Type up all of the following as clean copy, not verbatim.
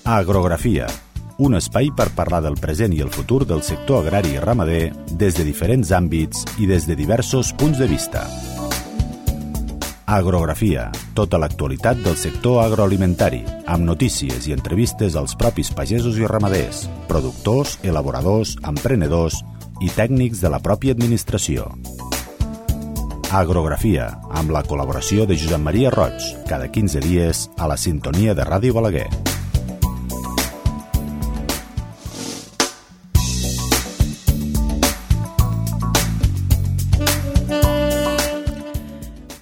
Agrografia, un espai per parlar del present i el futur del sector agrari i ramader des de diferents àmbits i des de diversos punts de vista. Agrografia, tota l'actualitat del sector agroalimentari, amb notícies i entrevistes als propis pagesos i ramaders, productors, elaboradors, emprenedors i tècnics de la pròpia administració. Agrografia, amb la col·laboració de Josep Maria Roig, cada 15 dies a la sintonia de Ràdio Balaguer.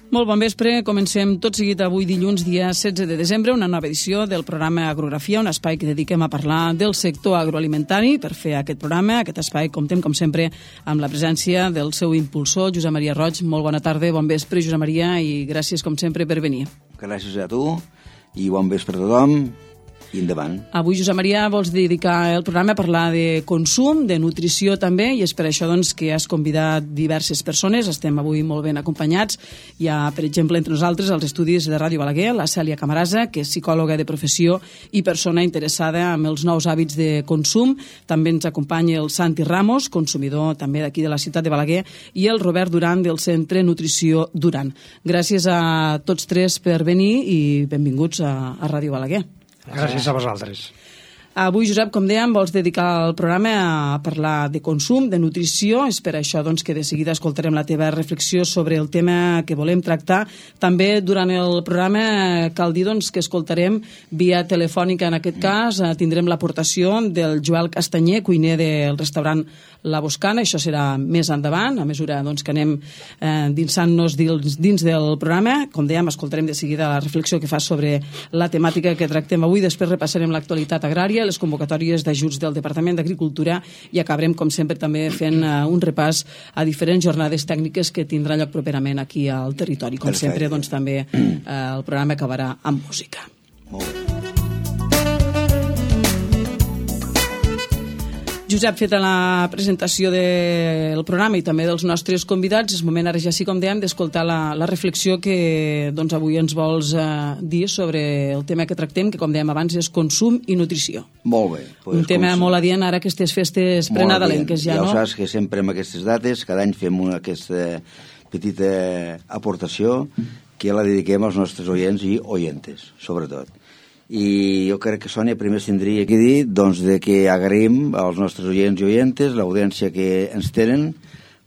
Molt bon vespre, comencem tot seguit avui dilluns, dia 16 de desembre, una nova edició del programa Agrografia, un espai que dediquem a parlar del sector agroalimentari. Per fer aquest programa, aquest espai, comptem, com sempre, amb la presència del seu impulsor, Josep Maria Roig. Molt bona tarda, bon vespre, Josep Maria, i gràcies, com sempre, per venir. Gràcies a tu, i bon vespre a tothom. I endavant. Avui, Josep Maria, vols dedicar el programa a parlar de consum, de nutrició també, i és per això doncs, que has convidat diverses persones. Estem avui molt ben acompanyats. Hi ha, per exemple, entre nosaltres, als estudis de Ràdio Balaguer, la Cèlia Camarasa, que és psicòloga de professió i persona interessada en els nous hàbits de consum. També ens acompanya el Santi Ramos, consumidor també d'aquí de la ciutat de Balaguer, i el Robert Duran, del Centre Nutrició Duran. Gràcies a tots tres per venir i benvinguts a Ràdio Balaguer. Gràcies a vosaltres. Avui, Josep, com dèiem, vols dedicar el programa a parlar de consum, de nutrició. És per això doncs, que de seguida escoltarem la teva reflexió sobre el tema que volem tractar. També durant el programa cal dir doncs, que escoltarem via telefònica, en aquest cas, tindrem l'aportació del Joel Castanyer, cuiner del restaurant La Boscana. Això serà més endavant, a mesura doncs, que anem dinsant-nos dins del programa. Com dèiem, escoltarem de seguida la reflexió que fa sobre la temàtica que tractem avui. Després repassarem l'actualitat agrària, les convocatòries d'ajuts del Departament d'Agricultura i acabarem, com sempre, també fent un repàs a diferents jornades tècniques que tindrà lloc properament aquí al territori. Com sempre, doncs, també el programa acabarà amb música. Molt bé. Josep, feta la presentació del programa i també dels nostres convidats, és moment ara ja sí, com dèiem, d'escoltar la reflexió que doncs, avui ens vols dir sobre el tema que tractem, que com dèiem abans és consum i nutrició. Molt bé. Pues, un tema molt adient ara aquestes festes prenadalenques ja, no? Ja ho saps que sempre en aquestes dates, cada any fem aquesta petita aportació que la dediquem als nostres oients i oientes, sobretot. I jo crec que, Sònia, primer tindria que dir doncs, de que agraïm als nostres oients i oientes l'audiència que ens tenen,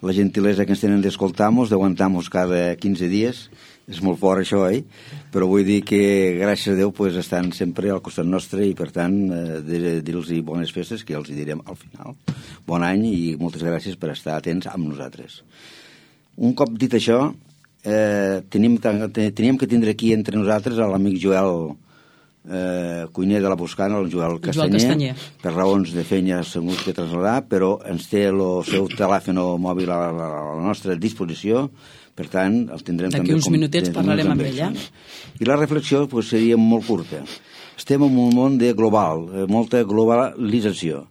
la gentilesa que ens tenen d'escoltar-nos, d'aguantar-nos cada 15 dies. És molt fort això, Però vull dir que, gràcies a Déu, pues, estan sempre al costat nostre i, per tant, dir-los bones festes, que els hi direm al final. Bon any i moltes gràcies per estar atents amb nosaltres. Un cop dit això, teníem que tindre aquí entre nosaltres l'amic Joel cuiner de la Boscana, el Joel Castanyer. Per raons de feina s'ha hagut que traslladar, però ens té el seu telèfon mòbil a la nostra disposició, per tant el tindrem d'aquí uns minutets parlarem amb ella. I la reflexió pues, seria molt curta. Estem en un món de global, molta globalització,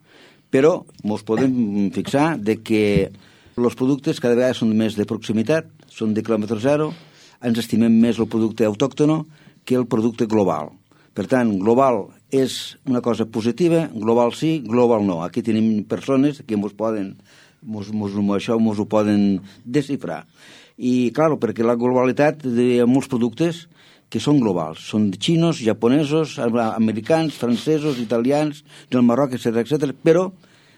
però ens podem fixar de que els productes cada vegada són més de proximitat, són de quilòmetre zero, ens estimem més el producte autòctono que el producte global. Per tant, global és una cosa positiva, global sí, global no. Aquí tenim persones que això ens ho poden desxifrar. I, clar, perquè la globalitat hi ha molts productes que són globals. Són xinos, japonesos, americans, francesos, italians, del Marroc, etc. Però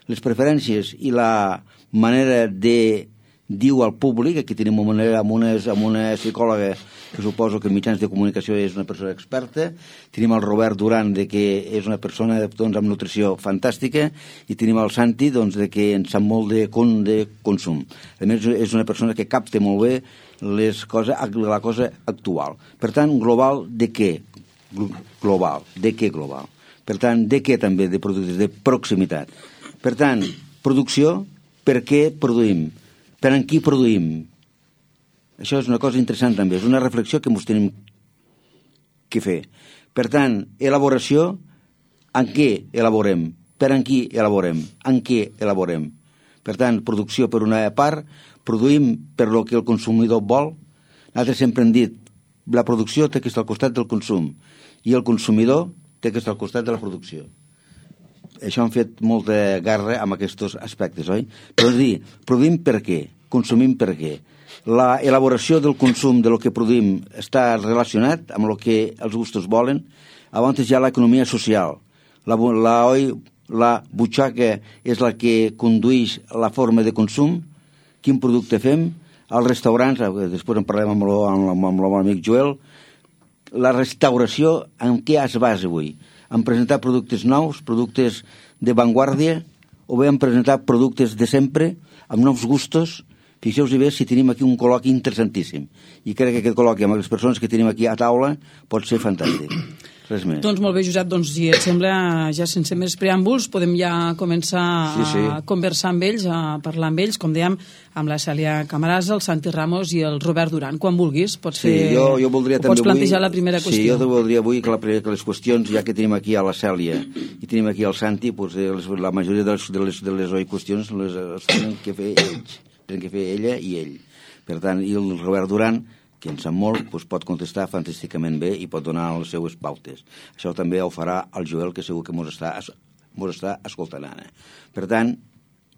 les preferències i la manera de diu al públic, aquí tenim amb una psicòloga que suposo que en mitjans de comunicació és una persona experta, tenim el Robert Duran, que és una persona doncs, amb nutrició fantàstica, i tenim el Santi, doncs, que en sap molt de consum. A més, és una persona que capta molt bé la cosa actual. Per tant, global de què? Global. De què global? Per tant, de què també? De productes de proximitat. Per tant, producció, per què produïm? Per en qui produïm? Això és una cosa interessant també, és una reflexió que ens tenim que fer. Per tant, elaboració, en què elaborem? Per en qui elaborem? En què elaborem? Per tant, producció per una part, produïm per lo que el consumidor vol. Nosaltres sempre hem dit, la producció té que estar al costat del consum, i el consumidor té que estar al costat de la producció. Això han fet molta guerra amb aquests aspectes, oi? Però és dir, produïm per què? Consumim per què? La elaboració del consum de lo que produïm està relacionat amb el que els gustos volen. Abans hi ha l'economia social. La butxaca és la que condueix la forma de consum. Quin producte fem? Els restaurants, després en parlem amb el amic Joel, la restauració en què es basa avui? En presentar productes nous, productes de vanguardia, o bé en presentar productes de sempre, amb nous gustos. Fixeu-vos bé si tenim aquí un col·loqui interessantíssim. I crec que aquest col·loqui amb les persones que tenim aquí a taula pot ser fantàstic. Res més. Doncs molt bé, Josep, doncs si et sembla, ja sense més preàmbuls, podem ja començar a conversar amb ells, a parlar amb ells, com dèiem, amb la Cèlia Camarasa, el Santi Ramos i el Robert Duran. Quan vulguis, pots plantejar la primera qüestió. Sí, jo voldria avui que les qüestions, ja que tenim aquí a la Cèlia i tenim aquí al Santi, la majoria de les qüestions les tenen que fer ells. Tenen que fer ella i ell. Per tant, i el Robert Duran, que en sap molt, doncs pot contestar fantàsticament bé i pot donar les seues pautes. Això també ho farà el Joel, que segur que mos està escoltant ara. Per tant,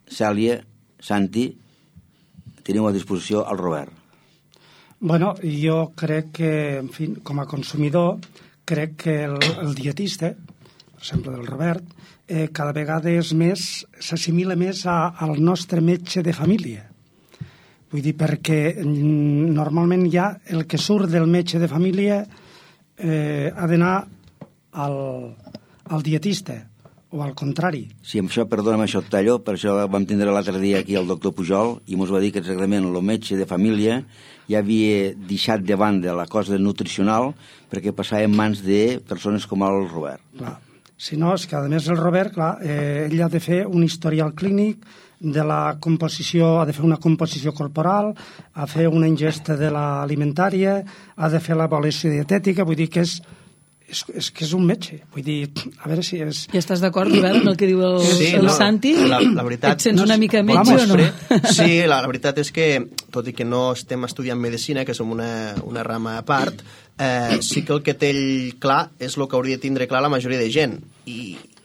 Cèlia, Santi, teniu a disposició el Robert. Bueno, jo crec que, en fi, com a consumidor, crec que el dietista, per exemple del Robert, cada vegada s'assimila més al nostre metge de família. Vull dir, perquè normalment ja el que surt del metge de família ha d'anar al dietista, o al contrari. Sí, amb això, perdona'm, això et tallo, per això vam tindre l'altre dia aquí el doctor Pujol i ens va dir que exactament el metge de família ja havia deixat de banda la cosa nutricional perquè passava en mans de persones com el Robert. Clar. Si no, és que a més el Robert, clar, ell ha de fer un historial clínic de la composició, ha de fer una composició corporal, ha de fer una ingesta de l'alimentària, ha de fer l'avaluació dietètica, vull dir que és un metge. Vull dir, a veure si és... I estàs d'acord, Robert, amb el que diu el Santi? La veritat... Et sents una mica metge o no? Sí, la veritat és que, tot i que no estem estudiant medicina, que som una rama a part, sí que el que té ell clar és el que hauria de tindre clar la majoria de gent.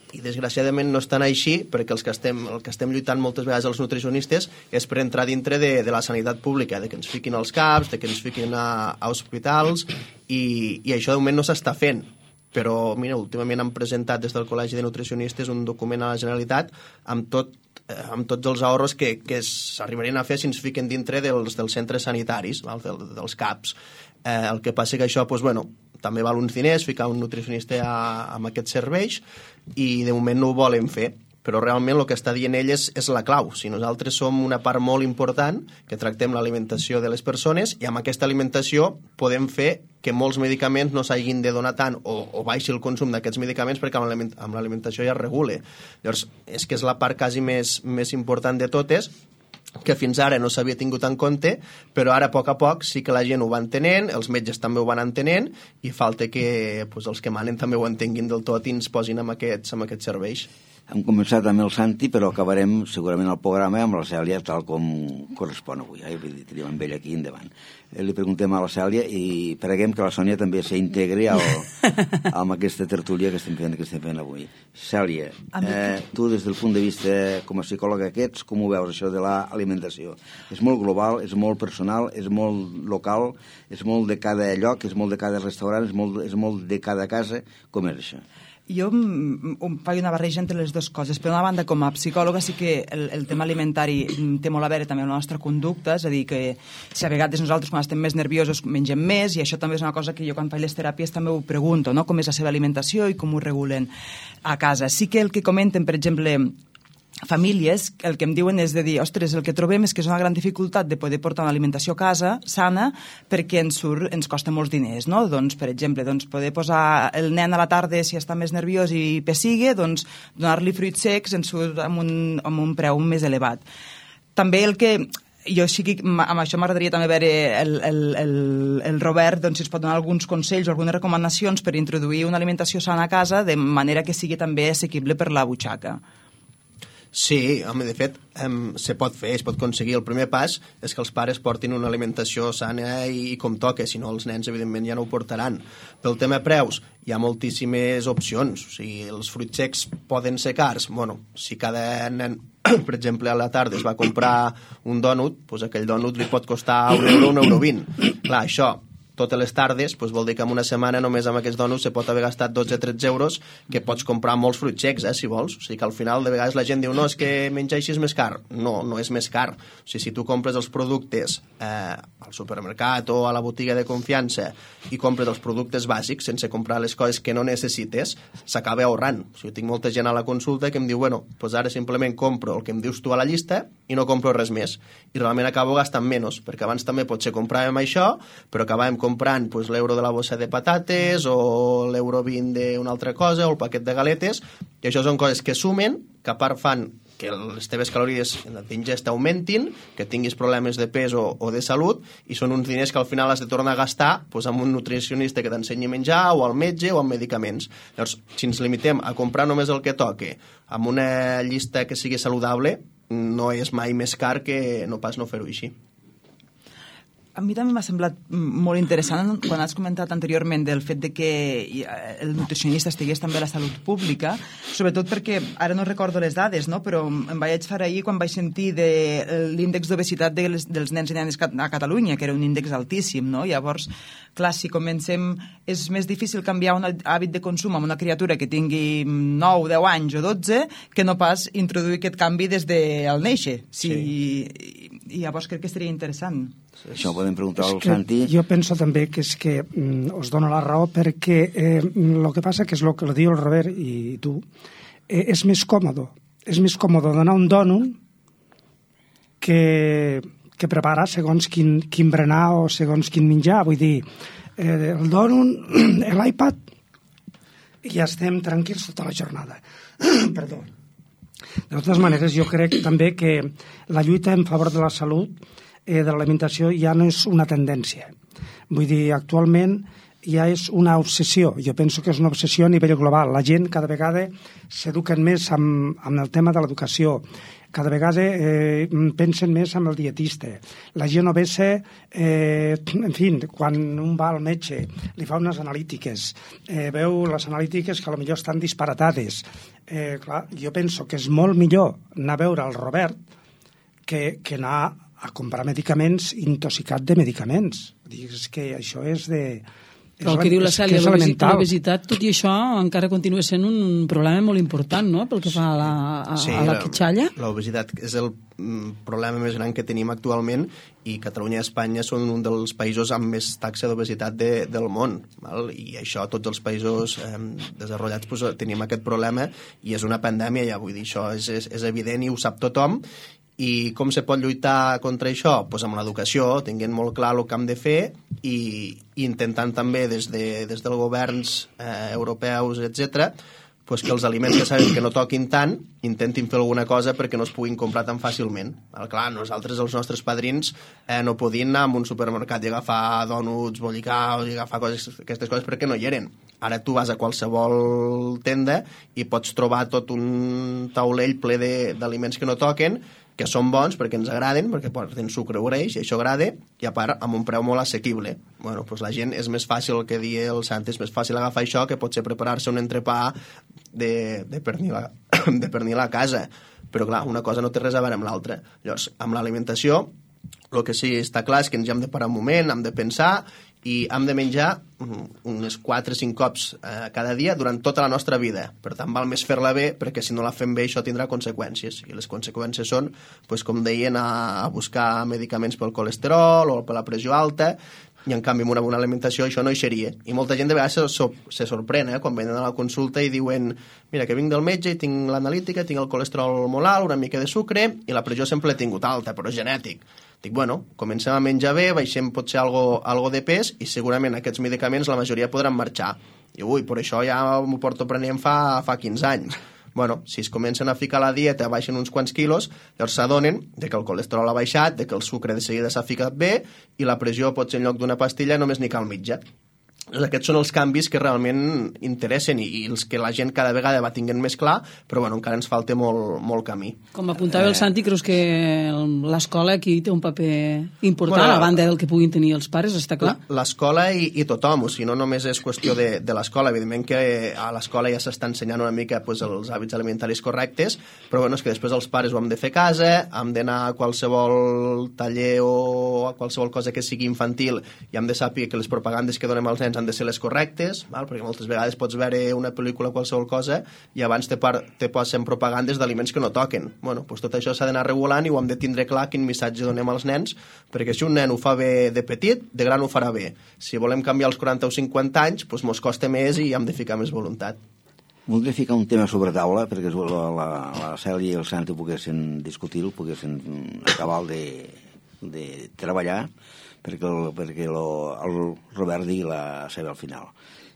I desgraciadament no és tan així, perquè el que estem lluitant moltes vegades els nutricionistes és per entrar dintre de la sanitat pública, de que ens fiquin als CAPs, de que ens fiquin a hospitals, i això de moment no s'està fent. Però, mira, últimament han presentat des del Col·legi de Nutricionistes un document a la Generalitat amb tots els ahorros que s'arribarien a fer si ens fiquen dintre dels centres sanitaris, dels CAPs. El que passa que això, doncs, bueno, també val uns diners, ficar un nutricionista amb aquests serveis, i de moment no ho volen fer. Però realment el que està dient ell és la clau. Si nosaltres som una part molt important, que tractem l'alimentació de les persones, i amb aquesta alimentació podem fer que molts medicaments no s'hagin de donar tant o baixi el consum d'aquests medicaments perquè amb l'alimentació ja es regule. Llavors, és que és la part quasi més important de totes, que fins ara no s'havia tingut en compte, però ara a poc sí que la gent ho va entenent, els metges també ho van entenent, i falta que els que manen també ho entenguin del tot i ens posin amb aquests serveis. Hem començat amb el Santi, però acabarem segurament el programa amb la Cèlia, tal com correspon avui. Tenim amb ell aquí endavant. Li preguntem a la Cèlia i preguem que la Sònia també s'integri amb aquesta tertúlia que estem fent avui. Cèlia, tu des del punt de vista com a psicòloga que ets, com ho veus això de l'alimentació? És molt global, és molt personal, és molt local, és molt de cada lloc, és molt de cada restaurant, és molt de cada casa. Com és això? Jo faig una barreja entre les dues coses. Per una banda, com a psicòloga, sí que el tema alimentari té molt a veure també amb la nostra conducta, és a dir, que si a vegades nosaltres quan estem més nerviosos mengem més, i això també és una cosa que jo quan faig les teràpies també ho pregunto, no? Com és la seva alimentació i com ho regulen a casa. Sí que el que comenten, per exemple, famílies, el que em diuen és de dir, ostres, el que trobem és que és una gran dificultat de poder portar una alimentació a casa sana perquè ens costa molts diners, no? Doncs, per exemple, poder posar el nen a la tarda si està més nerviós i pessigue, doncs donar-li fruits secs ens surt amb un preu més elevat. També el que jo sí que amb això m'agradaria també veure el Robert, doncs si es pot donar alguns consells o algunes recomanacions per introduir una alimentació sana a casa de manera que sigui també assequible per la butxaca. Sí, home, de fet, se pot fer, es pot aconseguir. El primer pas és que els pares portin una alimentació sana i com toca, si no els nens, evidentment, ja no ho portaran. Pel tema preus, hi ha moltíssimes opcions. O sigui, els fruits secs poden ser cars. Bueno, si cada nen, per exemple, a la tarda es va comprar un dònut, doncs aquell dònut li pot costar €1, €1,20. Clar, això totes les tardes, doncs vol dir que en una setmana només amb aquests dònuts se pot haver gastat 12-13 euros, que pots comprar molts fruits secs, si vols. O sigui que al final de vegades la gent diu no, és que menjar així és més car. No, no és més car. O sigui, si tu compres els productes al supermercat o a la botiga de confiança i compres els productes bàsics sense comprar les coses que no necessites, s'acaba ahorrant. O sigui, tinc molta gent a la consulta que em diu, bueno, doncs ara simplement compro el que em dius tu a la llista i no compro res més. I realment acabo gastant menys, perquè abans també potser compràvem això, però acabàvem comprant pues, l'euro de la bossa de patates o l'euro 20 d'una altra cosa o el paquet de galetes, i això són coses que sumen, que a part fan que les teves calories d'ingesta augmentin, que tinguis problemes de pes o de salut, i són uns diners que al final has de tornar a gastar pues, amb un nutricionista que t'ensenyi a menjar, o al metge, o amb medicaments. Llavors, si ens limitem a comprar només el que toque, amb una llista que sigui saludable, no és mai més car que no pas no fer-ho així. A mi també m'ha semblat molt interessant quan has comentat anteriorment del fet de que el nutricionista estigués també a la salut pública, sobretot perquè, ara no recordo les dades, no? Però em vaig fer ahir quan vaig sentir de l'índex d'obesitat dels nens i nenes a Catalunya, que era un índex altíssim, no? Llavors, clar, si comencem, és més difícil canviar un hàbit de consum amb una criatura que tingui 9, 10 anys o 12 que no pas introduir aquest canvi des del néixer. Sí. I llavors crec que seria interessant. Això ho podem preguntar al Santi. Jo penso també que és que us dono la raó perquè el que passa que és el que diu el Robert i tu, és més còmode. És més còmode donar un dònut que preparar segons quin berenar o segons quin menjar. Vull dir, el dònut, l'iPad, i ja estem tranquils tota la jornada. Perdó. De totes maneres, jo crec també que la lluita en favor de la salut de l'alimentació ja no és una tendència. Vull dir, actualment ja és una obsessió. Jo penso que és una obsessió a nivell global. La gent cada vegada s'eduquen més amb el tema de l'educació. Cada vegada pensen més amb el dietista. La gent obesa, en fi, quan un va al metge, li fa unes analítiques, veu les analítiques que potser estan disparatades. Clar, jo penso que és molt millor anar a veure el Robert que anar a comprar medicaments intoxicat de medicaments. És que això és de... Però el que diu la Cèlia, l'obesitat, tot i això, encara continua sent un problema molt important, no?, pel que fa a la quitxalla. L'obesitat és el problema més gran que tenim actualment i Catalunya i Espanya són un dels països amb més taxa d'obesitat del món. Val? I això, tots els països desenvolupats pues, tenim aquest problema i és una pandèmia, ja vull dir, això és evident i ho sap tothom. I com se pot lluitar contra això? Pues amb l'educació, tinguent molt clar el que hem de fer i intentant també des dels governs europeus, etc., pues que els aliments que saben que no toquin tant intentin fer alguna cosa perquè no es puguin comprar tan fàcilment. Clar, nosaltres, els nostres padrins, no podien anar a un supermercat i agafar dònuts bollicaus i agafar aquestes coses perquè no hi eren. Ara tu vas a qualsevol tenda i pots trobar tot un taulell ple d'aliments que no toquen, que són bons perquè ens agraden, perquè porten sucre o greix, i això agrada, i a part amb un preu molt assequible. Bueno, doncs la gent és més fàcil, el que dia el Sant, és més fàcil agafar això que potser preparar-se un entrepà de pernil a casa. Però clar, una cosa no té res a veure amb l'altra. Llavors, amb l'alimentació, el que sí està clar és que ens hi hem de parar un moment, hem de pensar i hem de menjar unes 4 o 5 cops cada dia durant tota la nostra vida. Per tant, val més fer-la bé, perquè si no la fem bé això tindrà conseqüències. I les conseqüències són, doncs, com deien, a buscar medicaments pel colesterol o per la pressió alta, i en canvi amb una bona alimentació això no hi seria. I molta gent de vegades se sorprèn quan venen a la consulta i diuen mira, que vinc del metge i tinc l'analítica, tinc el colesterol molt alt, una mica de sucre i la pressió sempre l'he tingut alta, però és genètic. Dic, bueno, comencem a menjar bé, baixem potser algo de pes i segurament aquests medicaments la majoria podran marxar. I ui, per això ja m'ho porto prenent fa 15 anys. Bueno, si es comencen a ficar a la dieta, baixen uns quants quilos, llavors s'adonen que el colesterol ha baixat, que el sucre de seguida s'ha ficat bé i la pressió potser en lloc d'una pastilla només n'hi cal mitja. Aquests són els canvis que realment interessen i els que la gent cada vegada va tinguent més clar, però bueno, encara ens falta molt camí. Com apuntava el Santi, creus que l'escola aquí té un paper important, a banda del que puguin tenir els pares, està clar? L'escola i tothom, o sigui, no només és qüestió de l'escola, evidentment que a l'escola ja s'està ensenyant una mica pues, els hàbits alimentaris correctes, però bueno, és que després els pares ho hem de fer a casa, hem d'anar a qualsevol taller o a qualsevol cosa que sigui infantil i hem de saber que les propagandes que donem als nens han de ser les correctes, val? Perquè moltes vegades pots veure una pel·lícula o qualsevol cosa i abans te posen propagandes d'aliments que no toquen. Bueno, doncs tot això s'ha d'anar regulant i ho hem de tindre clar quin missatge donem als nens, perquè si un nen ho fa bé de petit, de gran ho farà bé. Si volem canviar els 40 o 50 anys, doncs mos costa més i hem de ficar més voluntat. Voldria ficar un tema sobre taula perquè la Cèlia i el Santi poguessin discutir-ho, poguessin acabar de treballar, perquè el Robert digui la seva al final.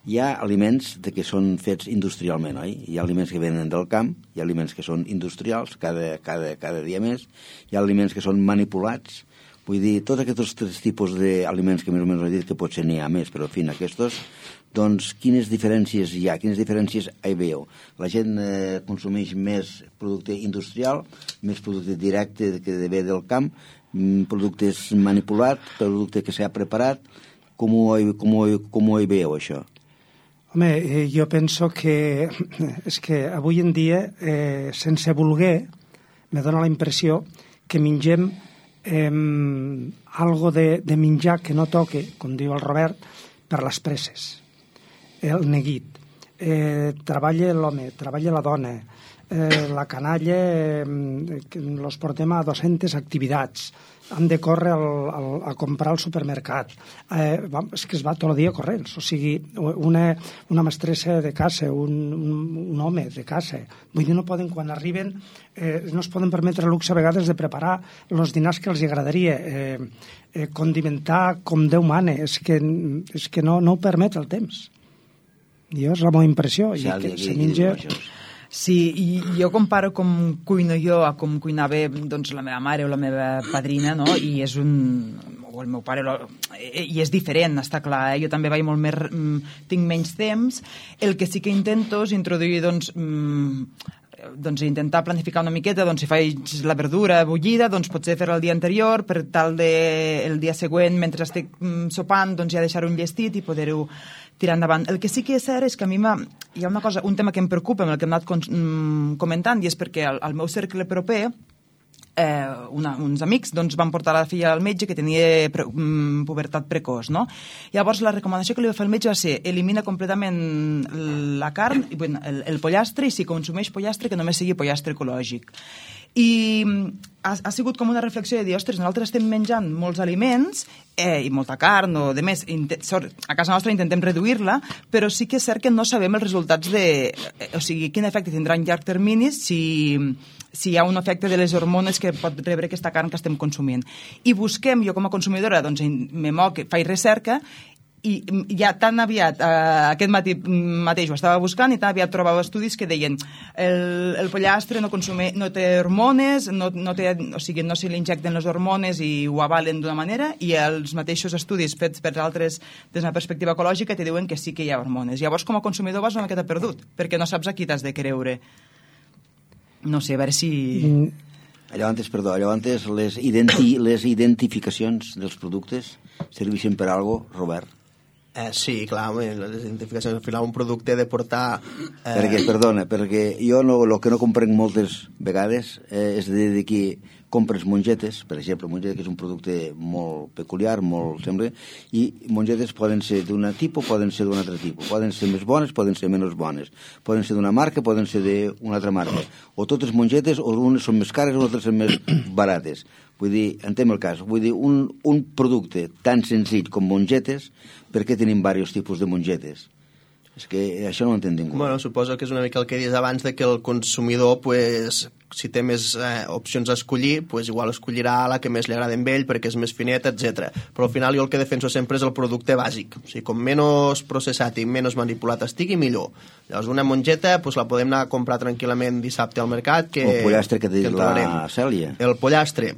Hi ha aliments que són fets industrialment, oi? Hi ha aliments que venen del camp, hi ha aliments que són industrials, cada dia més, hi ha aliments que són manipulats. Vull dir, tots aquests tres tipus d'aliments que més o menys he dit que potser n'hi ha més, però en fi, aquests, doncs quines diferències hi ha? Quines diferències hi veieu? La gent consumeix més producte industrial, més producte directe que ve del camp, productes manipulats, producte que s'ha preparat. Com ho veieu, això? Home, jo penso que és que avui en dia, sense voler, me dóna la impressió que mengem algo de menjar que no toque, com diu el Robert, per les presses. El neguit. Treballa l'home, treballa la dona, la canalla los portem a 200 activitats, han de córrer a comprar al supermercat, és que es va tot el dia corrents, o sigui, una mestressa de casa, un home de casa, vull dir, no poden, quan arriben, no es poden permetre el luxe a vegades de preparar els dinars que els agradaria, condimentar com Déu mana, és que no ho permet el temps. Jo és la meva impressió, i que se menja... Sí, i jo comparo com cuino jo a com cuinava doncs, la meva mare o la meva padrina, no? I és o el meu pare, i és diferent, està clar, jo també vaig molt més, tinc menys temps. El que sí que intento és introduir, doncs intentar planificar una miqueta, doncs si faig la verdura bullida, doncs potser fer-la el dia anterior, per tal el dia següent, mentre estic sopant, doncs ja deixar un llestit i poder-ho tirar endavant. El que sí que és cert és que a mi hi ha una cosa, un tema que em preocupa, amb el que hem anat comentant, i és perquè al meu cercle proper uns amics doncs, van portar la filla al metge que tenia pubertat precoç, no? Llavors la recomanació que li va fer el metge va ser elimina completament la carn, el pollastre, i si consumeix pollastre que només sigui pollastre ecològic. I ha sigut com una reflexió de dir, ostres, nosaltres estem menjant molts aliments i molta carn o de més, a casa nostra intentem reduir-la, però sí que és cert que no sabem els resultats o sigui, quin efecte tindrà en llarg termini si hi ha un efecte de les hormones que pot rebre aquesta carn que estem consumint. I busquem, jo com a consumidora, doncs me moc, faig recerca, i ja tan aviat, aquest matí mateix ho estava buscant, i tan aviat trobava estudis que deien el pollastre no té hormones, o sigui, no se li injecten les hormones i ho avalen d'una manera, i els mateixos estudis fets per altres des d'una perspectiva ecològica te diuen que sí que hi ha hormones. Llavors, com a consumidor vas una miqueta perdut, perquè no saps a qui t'has de creure. No sé, a veure si... Llavors, les identificacions dels productes serveixen per alguna cosa, Robert? Sí, clar, les identificacions, al final un producte de portar... Perquè jo el que no comprenc moltes vegades és de que compres mongetes, per exemple, mongeta, que és un producte molt peculiar, molt sembla, i mongetes poden ser d'un tipus, poden ser d'un altre tipus, poden ser més bones, poden ser menys bones, poden ser d'una marca, poden ser d'una altra marca, o totes mongetes, o unes són més cares, o altres són més barates. Vull dir, entenc el cas, vull dir, un producte tan senzill com mongetes, per què tenim diversos tipus de mongetes? És que això no ho entenc ningú. Bueno, suposo que és una mica el que dius abans, de que el consumidor, pues, si té més opcions a escollir, pues, igual escollirà la que més li agrada a ell perquè és més fineta, etc. Però al final jo el que defenso sempre és el producte bàsic. O sigui, com menys processat i menys manipulat estigui, millor. Llavors una mongeta pues, la podem anar a comprar tranquil·lament dissabte al mercat. El pollastre que diu la Cèlia. El pollastre.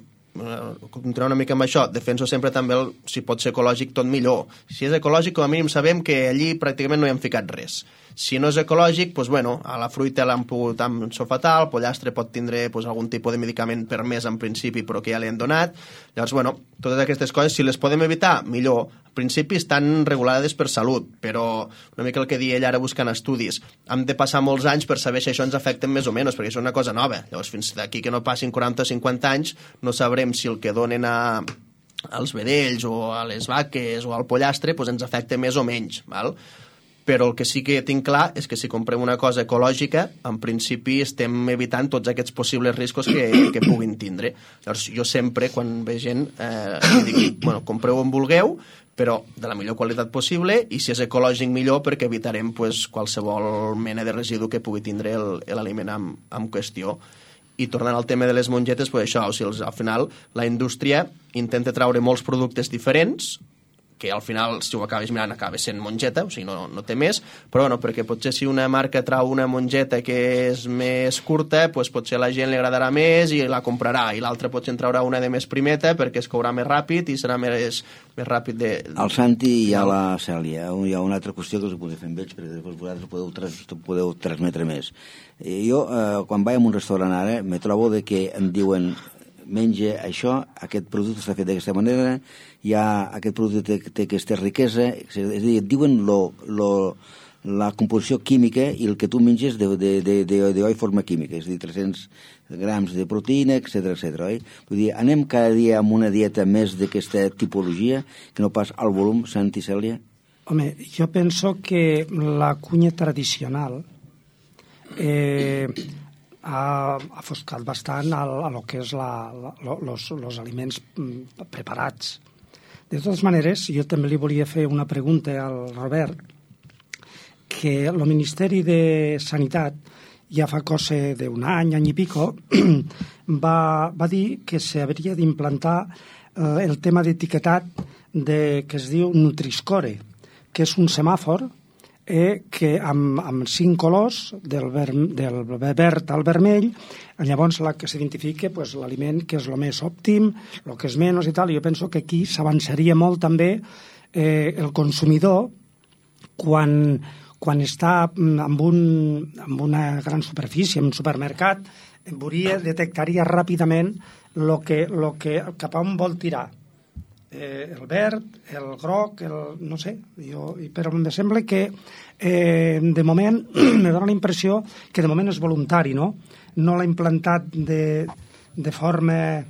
continuar una mica amb això, defenso sempre també si pot ser ecològic tot millor. Si és ecològic, com a mínim sabem que allí pràcticament no hi han ficat res. Si no és ecològic, doncs, bueno, a la fruita l'han pogut ensofatar, el pollastre pot tindre algun tipus de medicament permès en principi però que ja li han donat. Llavors, bueno, totes aquestes coses, si les podem evitar, millor. En principi estan regulades per salut, però una mica el que deia ell ara buscant estudis. Hem de passar molts anys per saber si això ens afecta més o menys, perquè això és una cosa nova. Llavors, fins d'aquí que no passin 40 o 50 anys, no sabrem si el que donen als vedells o a les vaques o al pollastre ens afecta més o menys, val? Però el que sí que tinc clar és que si comprem una cosa ecològica, en principi estem evitant tots aquests possibles riscos que puguin tindre. Llavors, jo sempre, quan ve gent, dic, bueno, compreu on vulgueu, però de la millor qualitat possible, i si és ecològic millor, perquè evitarem qualsevol mena de residu que pugui tindre l'aliment en qüestió. I tornant al tema de les mongetes, això, o sigui, al final la indústria intenta traure molts productes diferents, que al final, si ho acabes mirant, acaba sent mongeta, o sigui, no té més, però no, perquè potser si una marca trau una mongeta que és més curta, doncs potser a la gent li agradarà més i la comprarà, i l'altra potser en traurà una de més primeta perquè es courà més ràpid i serà més ràpid de... Al Santi i a la Cèlia, hi ha una altra qüestió que us podeu fer amb ells, perquè després vosaltres podeu transmetre més. Jo, quan vaig a un restaurant ara, me trobo que em diuen menja això, aquest producte està fet d'aquesta manera, aquest producte té aquesta riquesa, és a dir, et diuen la composició química i el que tu menges d'oi forma química, és a dir, 300 grams de proteïna, etc., oi? Vull dir, anem cada dia amb una dieta més d'aquesta tipologia, que no pas al volum, Santi, Cèlia? Home, jo penso que la cuina tradicional ha afoscat bastant a lo que és los aliments preparats. De totes maneres, jo també li volia fer una pregunta al Robert, que el Ministeri de Sanitat ja fa cosa d'un any i pico va dir que s'hauria d'implantar el tema d'etiquetat que es diu Nutri-Score, que és un semàfor que amb 5 colors, del verd al vermell, llavors que s'identifica l'aliment que és el més òptim, el que és menys i tal. Jo penso que aquí s'avançaria molt també el consumidor quan està en una gran superfície, en un supermercat, detectaria ràpidament cap a on vol tirar. El verd, el groc, no sé, però em sembla que de moment me dóna la impressió que de moment és voluntari, no? No l'ha implantat de forma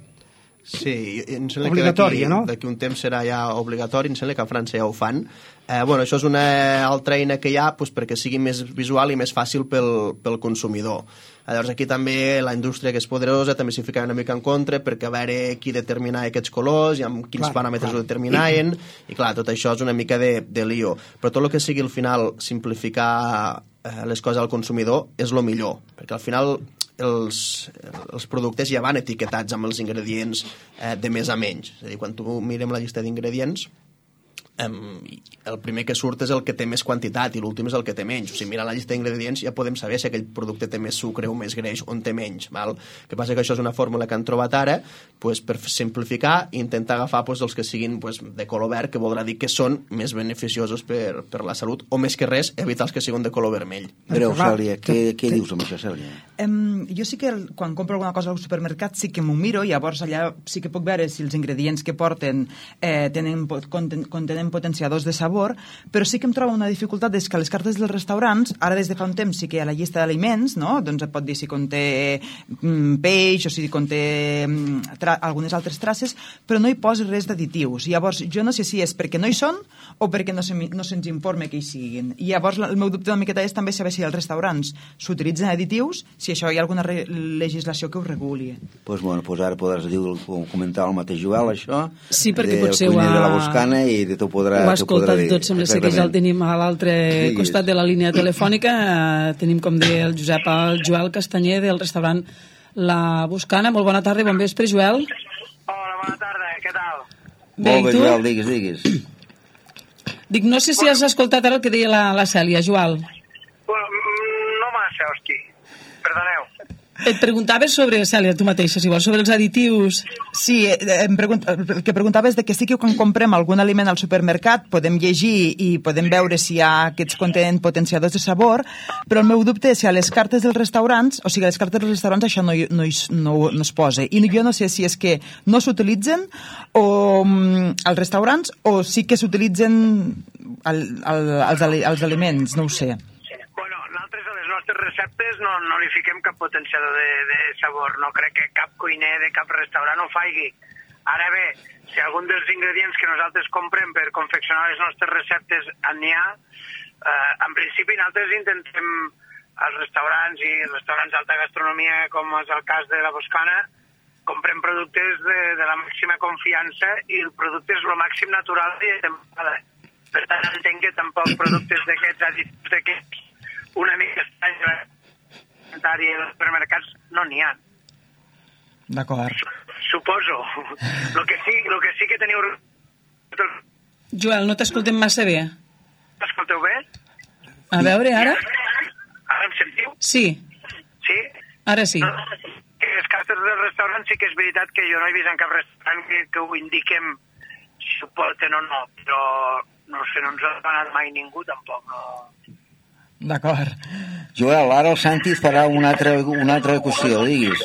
obligatòria, no? D'aquí un temps serà ja obligatori, em sembla que a França ja ho fan. Això és una altra eina que hi ha perquè sigui més visual i més fàcil pel consumidor. Llavors aquí també la indústria, que és poderosa, també s'hi ficava una mica en contra perquè a veure qui determinava aquests colors i amb quins paràmetres ho determinaven, i clar, tot això és una mica de lío. Però tot el que sigui al final simplificar les coses al consumidor és el millor, perquè al final els productes ja van etiquetats amb els ingredients de més a menys. És a dir, quan tu mirem la llista d'ingredients, el primer que surt és el que té més quantitat i l'últim és el que té menys. O sigui, mirant la llista d'ingredients ja podem saber si aquell producte té més sucre o més greix o en té menys. Val? El que passa que això és una fórmula que han trobat ara per simplificar i intentar agafar els que siguin de color verd, que voldrà dir que són més beneficiosos per la salut, o més que res evitar els que siguin de color vermell. Breu, Cèlia, què dius amb això, Cèlia? Jo sí que quan compro alguna cosa al supermercat sí que m'ho miro, i llavors allà sí que puc veure si els ingredients que porten contenen potenciadors de sabor, però sí que em trobo una dificultat és que a les cartes dels restaurants, ara des de fa un temps sí que hi ha la llista d'aliments, no? Doncs et pot dir si conté peix o si conté algunes altres traces, però no hi posa res d'additius. Llavors, jo no sé si és perquè no hi són o perquè no se'ns informa que hi siguin. I llavors el meu dubte una miqueta és també saber si als restaurants s'utilitzen additius, si això hi ha alguna legislació que ho reguli. Doncs ara podràs comentar el mateix Joel, això. Sí, perquè potser ho ha... de la Boscana i de ho ha escoltat tot, sembla ser que ja el tenim a l'altre costat de la línia telefònica. Tenim, com deia el Josep, el Joel Castanyer del restaurant La Boscana. Molt bona tarda i bon vespre, Joel. Hola, bona tarda, què tal? Molt bé, Joel, digues. Dic, no sé si has escoltat ara el que deia la Cèlia, Joel. No massa, hosti, perdoneu. Et preguntaves sobre, Cèlia, tu mateixa, si vols, sobre els additius. Sí, el que preguntava és de que sí que quan comprem algun aliment al supermercat podem llegir i podem veure si hi ha aquests contenen potenciadors de sabor, però el meu dubte és si a les cartes dels restaurants, o sigui, a les cartes dels restaurants això no es posa. I jo no sé si és que no s'utilitzen als restaurants o sí que s'utilitzen als aliments, no ho sé. Receptes no li fiquem cap potenciador de sabor. No crec que cap cuiner de cap restaurant ho faci. Ara bé, si algun dels ingredients que nosaltres comprem per confeccionar les nostres receptes n'hi ha, en principi nosaltres intentem als restaurants i restaurants d'alta gastronomia, com és el cas de la Boscana, comprem productes de la màxima confiança i el producte és el màxim natural i de temporada. Per tant, entenc que tampoc productes d'aquests additius d'aquests una mica estranya alimentària dels supermercats no n'hi ha. D'acord. Suposo. El que sí que teniu... Joel, no t'escoltem massa bé. M'escolteu bé? A veure, ara? Ara em sentiu? Sí. Sí? Ara sí. Les cartes del restaurant sí que és veritat que jo no he vist en cap restaurant que ho indiquem si ho porten o no, però no sé, no ens ha donat mai ningú tampoc, no... D'acord. Joel, ara el Santi farà una altra qüestió, diguis.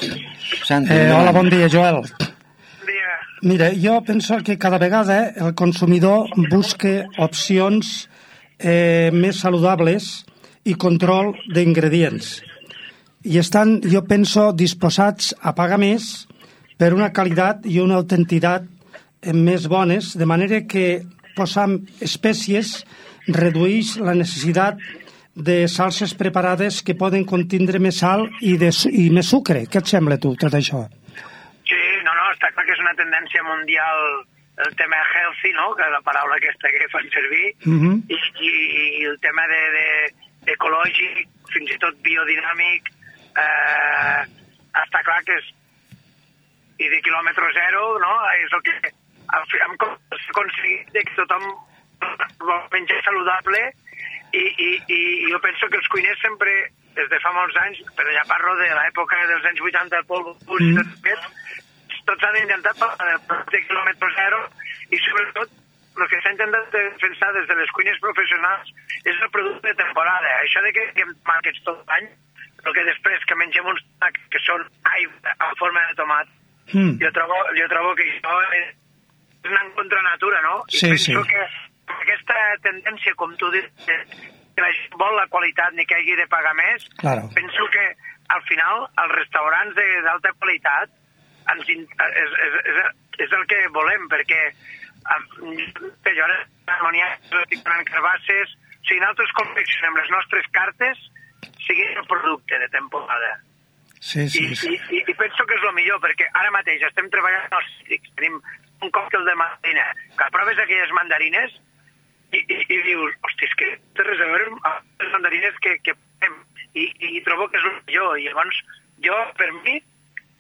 Santi, hola, bon dia, Joel. Bon dia. Mira, jo penso que cada vegada el consumidor busca opcions més saludables i control d'ingredients. I estan, jo penso, disposats a pagar més per una qualitat i una autentitat més bones, de manera que posant espècies redueix la necessitat de salses preparades que poden contindre més sal i més sucre. Què et sembla, tu, tot això? Sí, no, està clar que és una tendència mundial el tema healthy, no?, que és la paraula aquesta que fan servir, i el tema ecològic, fins i tot biodinàmic, està clar que és i de quilòmetre zero, no?, és el que hem aconseguit que tothom vol menjar saludable. I jo penso que els cuiners sempre, des de fa molts anys, però ja parlo de l'època dels anys 80, el Paul Bocuse, tots han intentat parlar del producte quilòmetre zero i sobretot el que s'ha intentat defensar des de les cuines professionals és el producte de temporada. Això de que hem tomàquets tot l'any, però que després que mengem uns tomàquets que són en forma de tomat, jo trobo que això és anar contra natura, no? I penso que aquesta tendència, com tu dius, que la gent vol la qualitat ni que hagi de pagar més, penso que al final els restaurants d'alta qualitat és el que volem, perquè jo ara estic donant carbasses, o sigui, nosaltres confeccionem les nostres cartes siguin el producte de temporada. I penso que és el millor, perquè ara mateix estem treballant als cítrics, tenim un còctel de mandarina, que proves aquelles mandarines i dius, hosti, és que té res a veure amb les mandarines que fem, i trobo que és el millor. I llavors jo, per mi,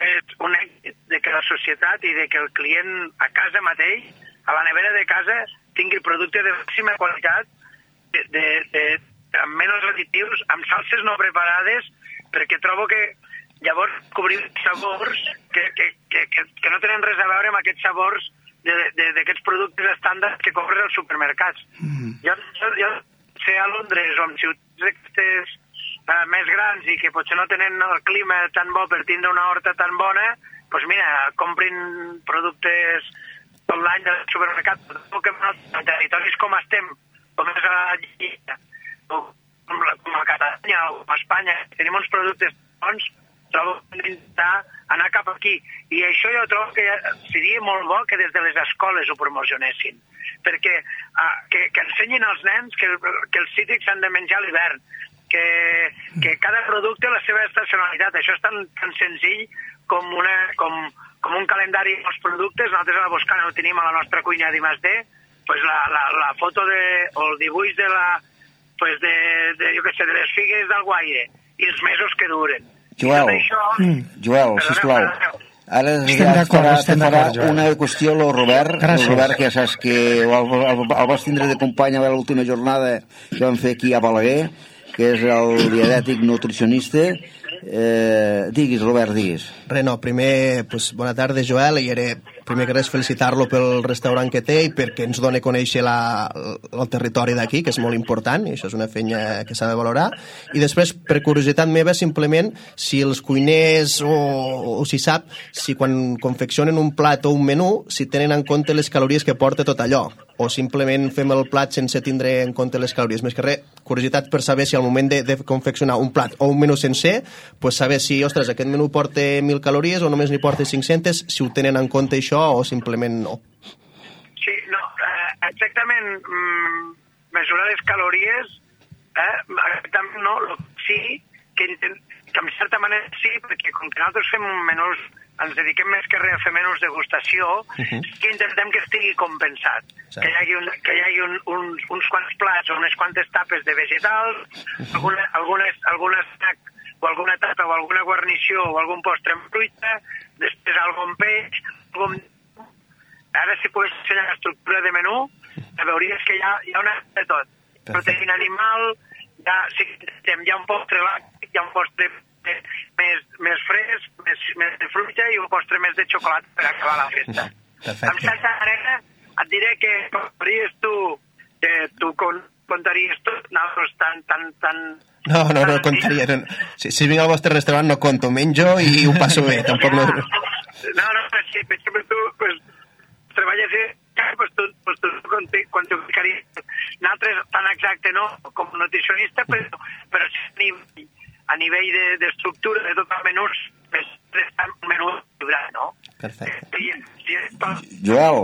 és un èxit de que la societat i de que el client a casa mateix, a la nevera de casa, tingui el producte de màxima qualitat, amb menys additius, amb salses no preparades, perquè trobo que llavors cobrim sabors que no tenen res a veure amb aquests sabors d'aquests productes estàndards que compres als supermercats. Jo sé a Londres o en ciutats aquestes més grans i que potser no tenen el clima tan bo per tindre una horta tan bona, doncs mira, comprin productes tot l'any del supermercat. En territoris com estem, com és a la Lliga, com a Catalunya o a Espanya, tenim uns productes bons, trobo que hem d'intentar anar cap aquí. I això jo trobo que seria molt bo que des de les escoles ho promocionessin, perquè que ensenyin als nens que els cítrics s'han de menjar a l'hivern, que cada producte té la seva estacionalitat. Això és tan senzill com un calendari dels productes. Nosaltres a la Boscana ho tenim a la nostra cuina d'I+D, pues la foto o el dibuix de les figues d'Alguaire i els mesos que duren. Joel, sisplau, ara et farà una qüestió el Robert, que ja saps que el vas tindre de company a l'última jornada que vam fer aquí a Balaguer, que és el dietètic nutricionista. Diguis, Robert, diguis. Primer, bona tarda, Joel, i primer que res felicitar-lo pel restaurant que té i perquè ens dona a conèixer el territori d'aquí, que és molt important, i això és una feina que s'ha de valorar. I després, per curiositat meva, simplement, si els cuiners o si sap, si quan confeccionen un plat o un menú, si tenen en compte les calories que porta tot allò, o simplement fem el plat sense tindre en compte les calories. Més que res, curiositat per saber si al moment de confeccionar un plat o un menú sencer, saber si, ostres, aquest menú porta 1.000 calories o només n'hi porta 500, si ho tenen en compte això o simplement no. Sí, no, exactament, mesurar les calories, exactament no, sí, que en certa manera sí, perquè com que nosaltres fem menús, ens dediquem més que res a fer menús degustació, que intentem que estigui compensat, sí. que hi hagi uns quants plats o unes quantes tapes de vegetals, alguna snack o alguna tapa o alguna guarnició o algun postre amb fruita, després algun peix, Ara, si pogués ensenyar l'estructura de menú, veuries que hi ha una de tot. Proteïna animal, hi ha un postre làctic, hi ha un postre més fresc, més de fruita i un postre més de xocolata per acabar la festa. Perfecte. En certa manera, et diré que tu contaries tot, nosaltres tan... No contaria. No. Si vinc al vostre restaurant no conto, menjo i ho passo bé, tampoc no... No, sí, per exemple, tu treballes tu quantificaries nosaltres tan exacte no com nutricionista, però a nivell d'estructura de tot el menú un menú equilibrat, no? Perfecte. Joel,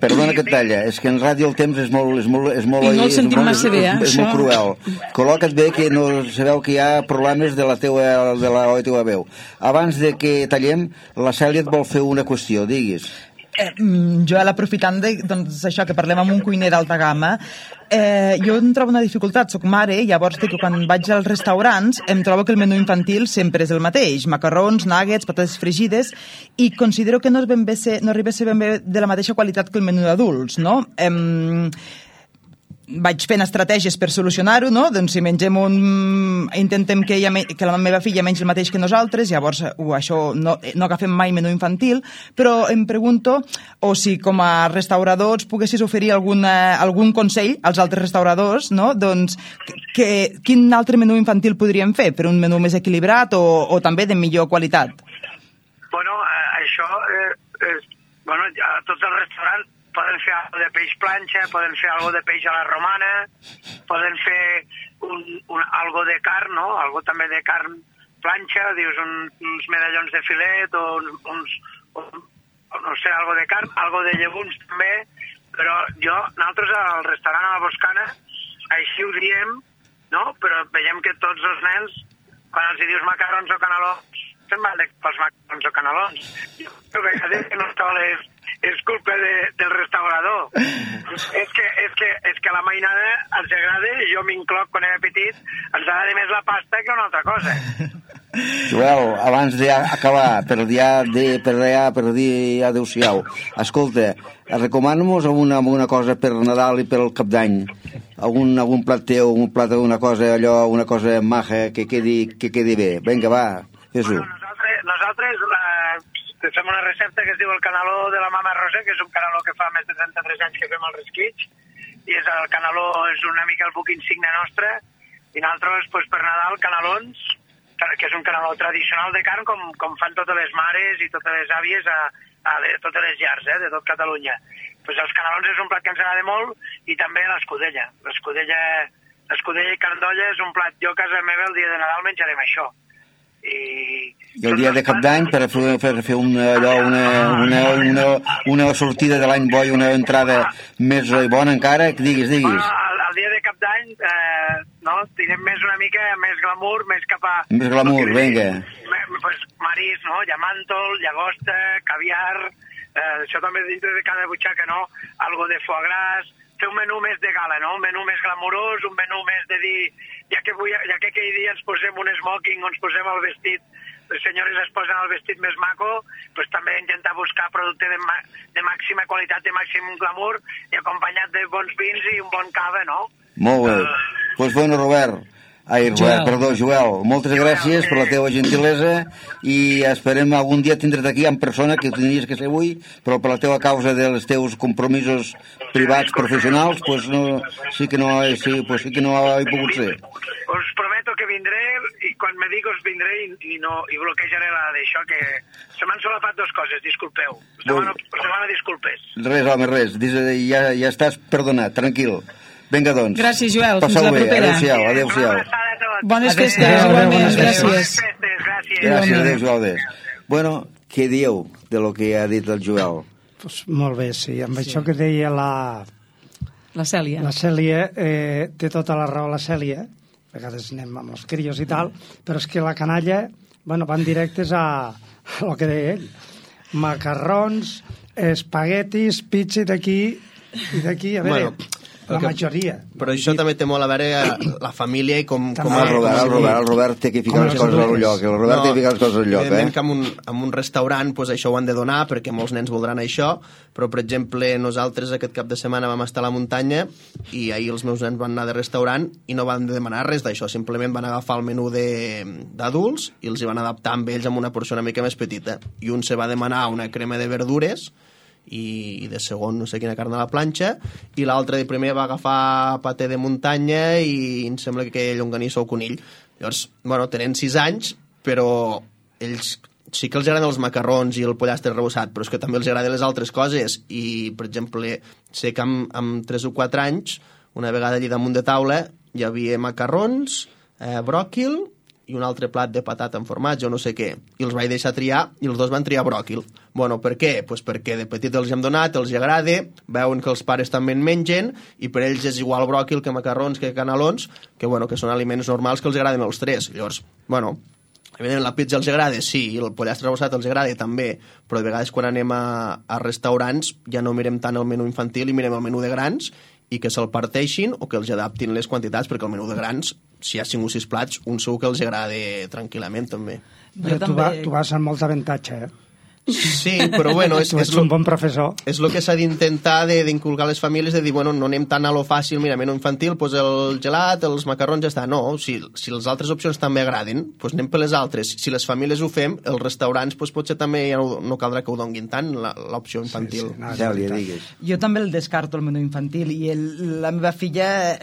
perdona que et talla, és que en ràdio el temps és molt I no el sentim massa bé, és molt cruel. Col·loca't bé que no sabeu que hi ha problemes de la teva veu. Abans de que tallem, la Cèlia et vol fer una qüestió, diguis. Joel, aprofitant això que parlem amb un cuiner d'alta gamma, jo em trobo una dificultat, soc mare, llavors que quan vaig als restaurants em trobo que el menú infantil sempre és el mateix, macarrons, nuggets, patates fregides, i considero que no arriba a ser ben bé de la mateixa qualitat que el menú d'adults, no? Vaig fent estratègies per solucionar-ho, no? Doncs si mengem intentem que la meva filla mengi el mateix que nosaltres, llavors això no agafem mai menú infantil, però em pregunto o si com a restauradors poguessis oferir algun consell als altres restauradors, no? Doncs quin altre menú infantil podríem fer per un menú més equilibrat o també de millor qualitat? Bueno, això tots els restaurants poden fer alguna de peix planxa, poden fer alguna de peix a la romana, poden fer algo de carn, no? Algo també de carn planxa, dius uns medallons de filet o no sé, algo de carn, algo de llegums també, però nosaltres al restaurant a la Boscana així ho diem, no? Però veiem que tots els nens, quan els dius macarrons o canelons, se'n van pels macarrons o canelons. Jo a vegades que no és culpa del restaurador. És que a la mainada els agrada, jo m'incloc quan era petit, ens agrada més la pasta que una altra cosa. Joel, abans d'acabar, per dir adeu-siau, escolta, recomana-nos alguna cosa per Nadal i per el Cap d'Any? Algun plat teu, un plat d'una cosa, una cosa maja que quedi bé. Vinga, va, fes-ho. Nosaltres fem una recepta que es diu el caneló de la mama Rosa, que és un caneló que fa més de 33 anys que fem al Resquitx, i el caneló és una mica el buc insigne nostre, i nosaltres, per Nadal, canelons, que és un caneló tradicional de carn, com fan totes les mares i totes les àvies a totes les llars de tot Catalunya. Els canelons és un plat que ens agrada molt, i també l'escudella. L'escudella i carn d'olla és un plat. Jo a casa meva el dia de Nadal menjarem això. I el dia de Cap d'Any per fer una sortida de l'any bo i una entrada més bona encara, diguis. El dia de Cap d'Any tindrem més una mica més glamour, més cap a... Més glamour, vinga. Marís, no? Llamàntol, llagosta, caviar, això també dintre de cada butxaca, no? Algo de foie gras, fer un menú més de gala, no? Un menú més glamurós, un menú més de dir... Ja que aquell dia ens posem un smoking o ens posem el vestit, les senyores es posen el vestit més maco, doncs també intentar buscar producte de màxima qualitat, de màxim glamour, i acompanyat de bons vins i un bon cava, no? Molt bé. Doncs bueno, Robert, Ai, Robert, perdó, Joel, moltes gràcies per la teva gentilesa i esperem algun dia tindre't aquí en persona, que ho tindries que ser avui, però per la teva causa dels teus compromisos privats, professionals, pues no, sí que no he pogut ser. Us prometo que vindré i quan me digues vindré i bloquejaré la d'això, que se m'han solapat dues coses, disculpeu. Us demano disculpes. Res, home, res, ja estàs perdonat, tranquil. Vinga, doncs. Gràcies, Joel. Fins la propera. Adéu-siau. Bones festes, igualment. Gràcies. Gràcies, adéu, Joel. Bueno, què dieu de lo que ha dit el Joel? Pues molt bé, sí. Amb això que deia la Cèlia. La Cèlia, té tota la raó la Cèlia. A vegades anem amb els crios i tal, però és que la canalla, bueno, van directes a el que deia ell. Macarrons, espaguetis, pizza d'aquí i d'aquí, a veure... La majoria. Però això també té molt a veure la família i com... El Robert té que ficar les coses al lloc. El Robert té que ficar les coses al lloc, evidentment que en un restaurant pues, això ho han de donar perquè molts nens voldran això, però per exemple nosaltres aquest cap de setmana vam estar a la muntanya i ahir els meus nens van anar de restaurant i no van demanar res d'això, simplement van agafar el menú d'adults i els hi van adaptar amb ells amb una porció una mica més petita. I un se va demanar una crema de verdures i de segon no sé quina carn a la planxa i l'altre de primer va agafar paté de muntanya i em sembla que llonganissa o conill. Llavors, bueno, tenen 6 anys però ells sí que els agraden els macarrons i el pollastre rebossat, però és que també els agraden les altres coses i, per exemple, sé que amb 3 o 4 anys una vegada allà damunt de taula hi havia macarrons, bròquil i un altre plat de patata amb formatge o no sé què, i els vaig deixar triar i els dos van triar bròquil. Bueno, per què? Pues perquè de petit els hem donat, els agrada, veuen que els pares també en mengen i per ells és igual bròquil que macarrons, que canelons, que, bueno, que són aliments normals que els agraden els tres. Llavors, bueno, evidentment la pizza els agrada, sí, i el pollastre rebossat els agrada també, però de vegades quan anem a restaurants ja no mirem tant el menú infantil i mirem el menú de grans i que se'l parteixin o que els adaptin les quantitats, perquè el menú de grans, si hi ha 5 o 6 plats, un segur que els agrada tranquil·lament, també. Però tu vas amb molt avantatge, Sí, però bueno... Tu ets un bon professor. És el que s'ha d'intentar d'inculcar les famílies, de dir, bueno, no anem tant a lo fàcil, mira, menú infantil, pues el gelat, els macarrons, ja està. No, si les altres opcions també agraden, pues anem per les altres. Si les famílies ho fem, els restaurants pues potser també ja no caldrà que ho donguin tant, l'opció infantil. Sí, Cèlia, digues. Jo també el descarto, el menú infantil, i la meva filla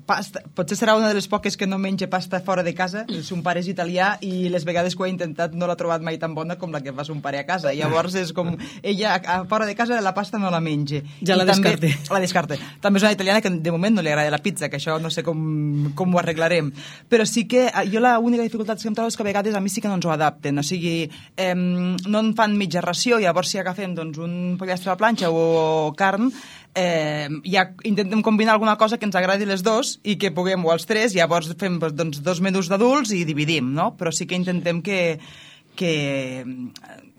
pasta, potser serà una de les poques que no menja pasta fora de casa. El son pare és italià i les vegades que ho ha intentat no l'ha trobat mai tan bona com la que fa son pare a casa. Llavors és com ella a fora de casa la pasta no la menja. Ja la descarte. La descarte. També és una italiana que de moment no li agrada la pizza, que això no sé com ho arreglarem. Però sí que jo l'única dificultat que em trobo és que a vegades a mi sí que no ens ho adapten. O sigui, no en fan mitja ració, llavors si agafem doncs, un pollastre a la planxa o carn, ja intentem combinar alguna cosa que ens agradi les dos i que puguem, o els tres, llavors fem doncs, 2 menús d'adults i dividim, no? Però sí que intentem que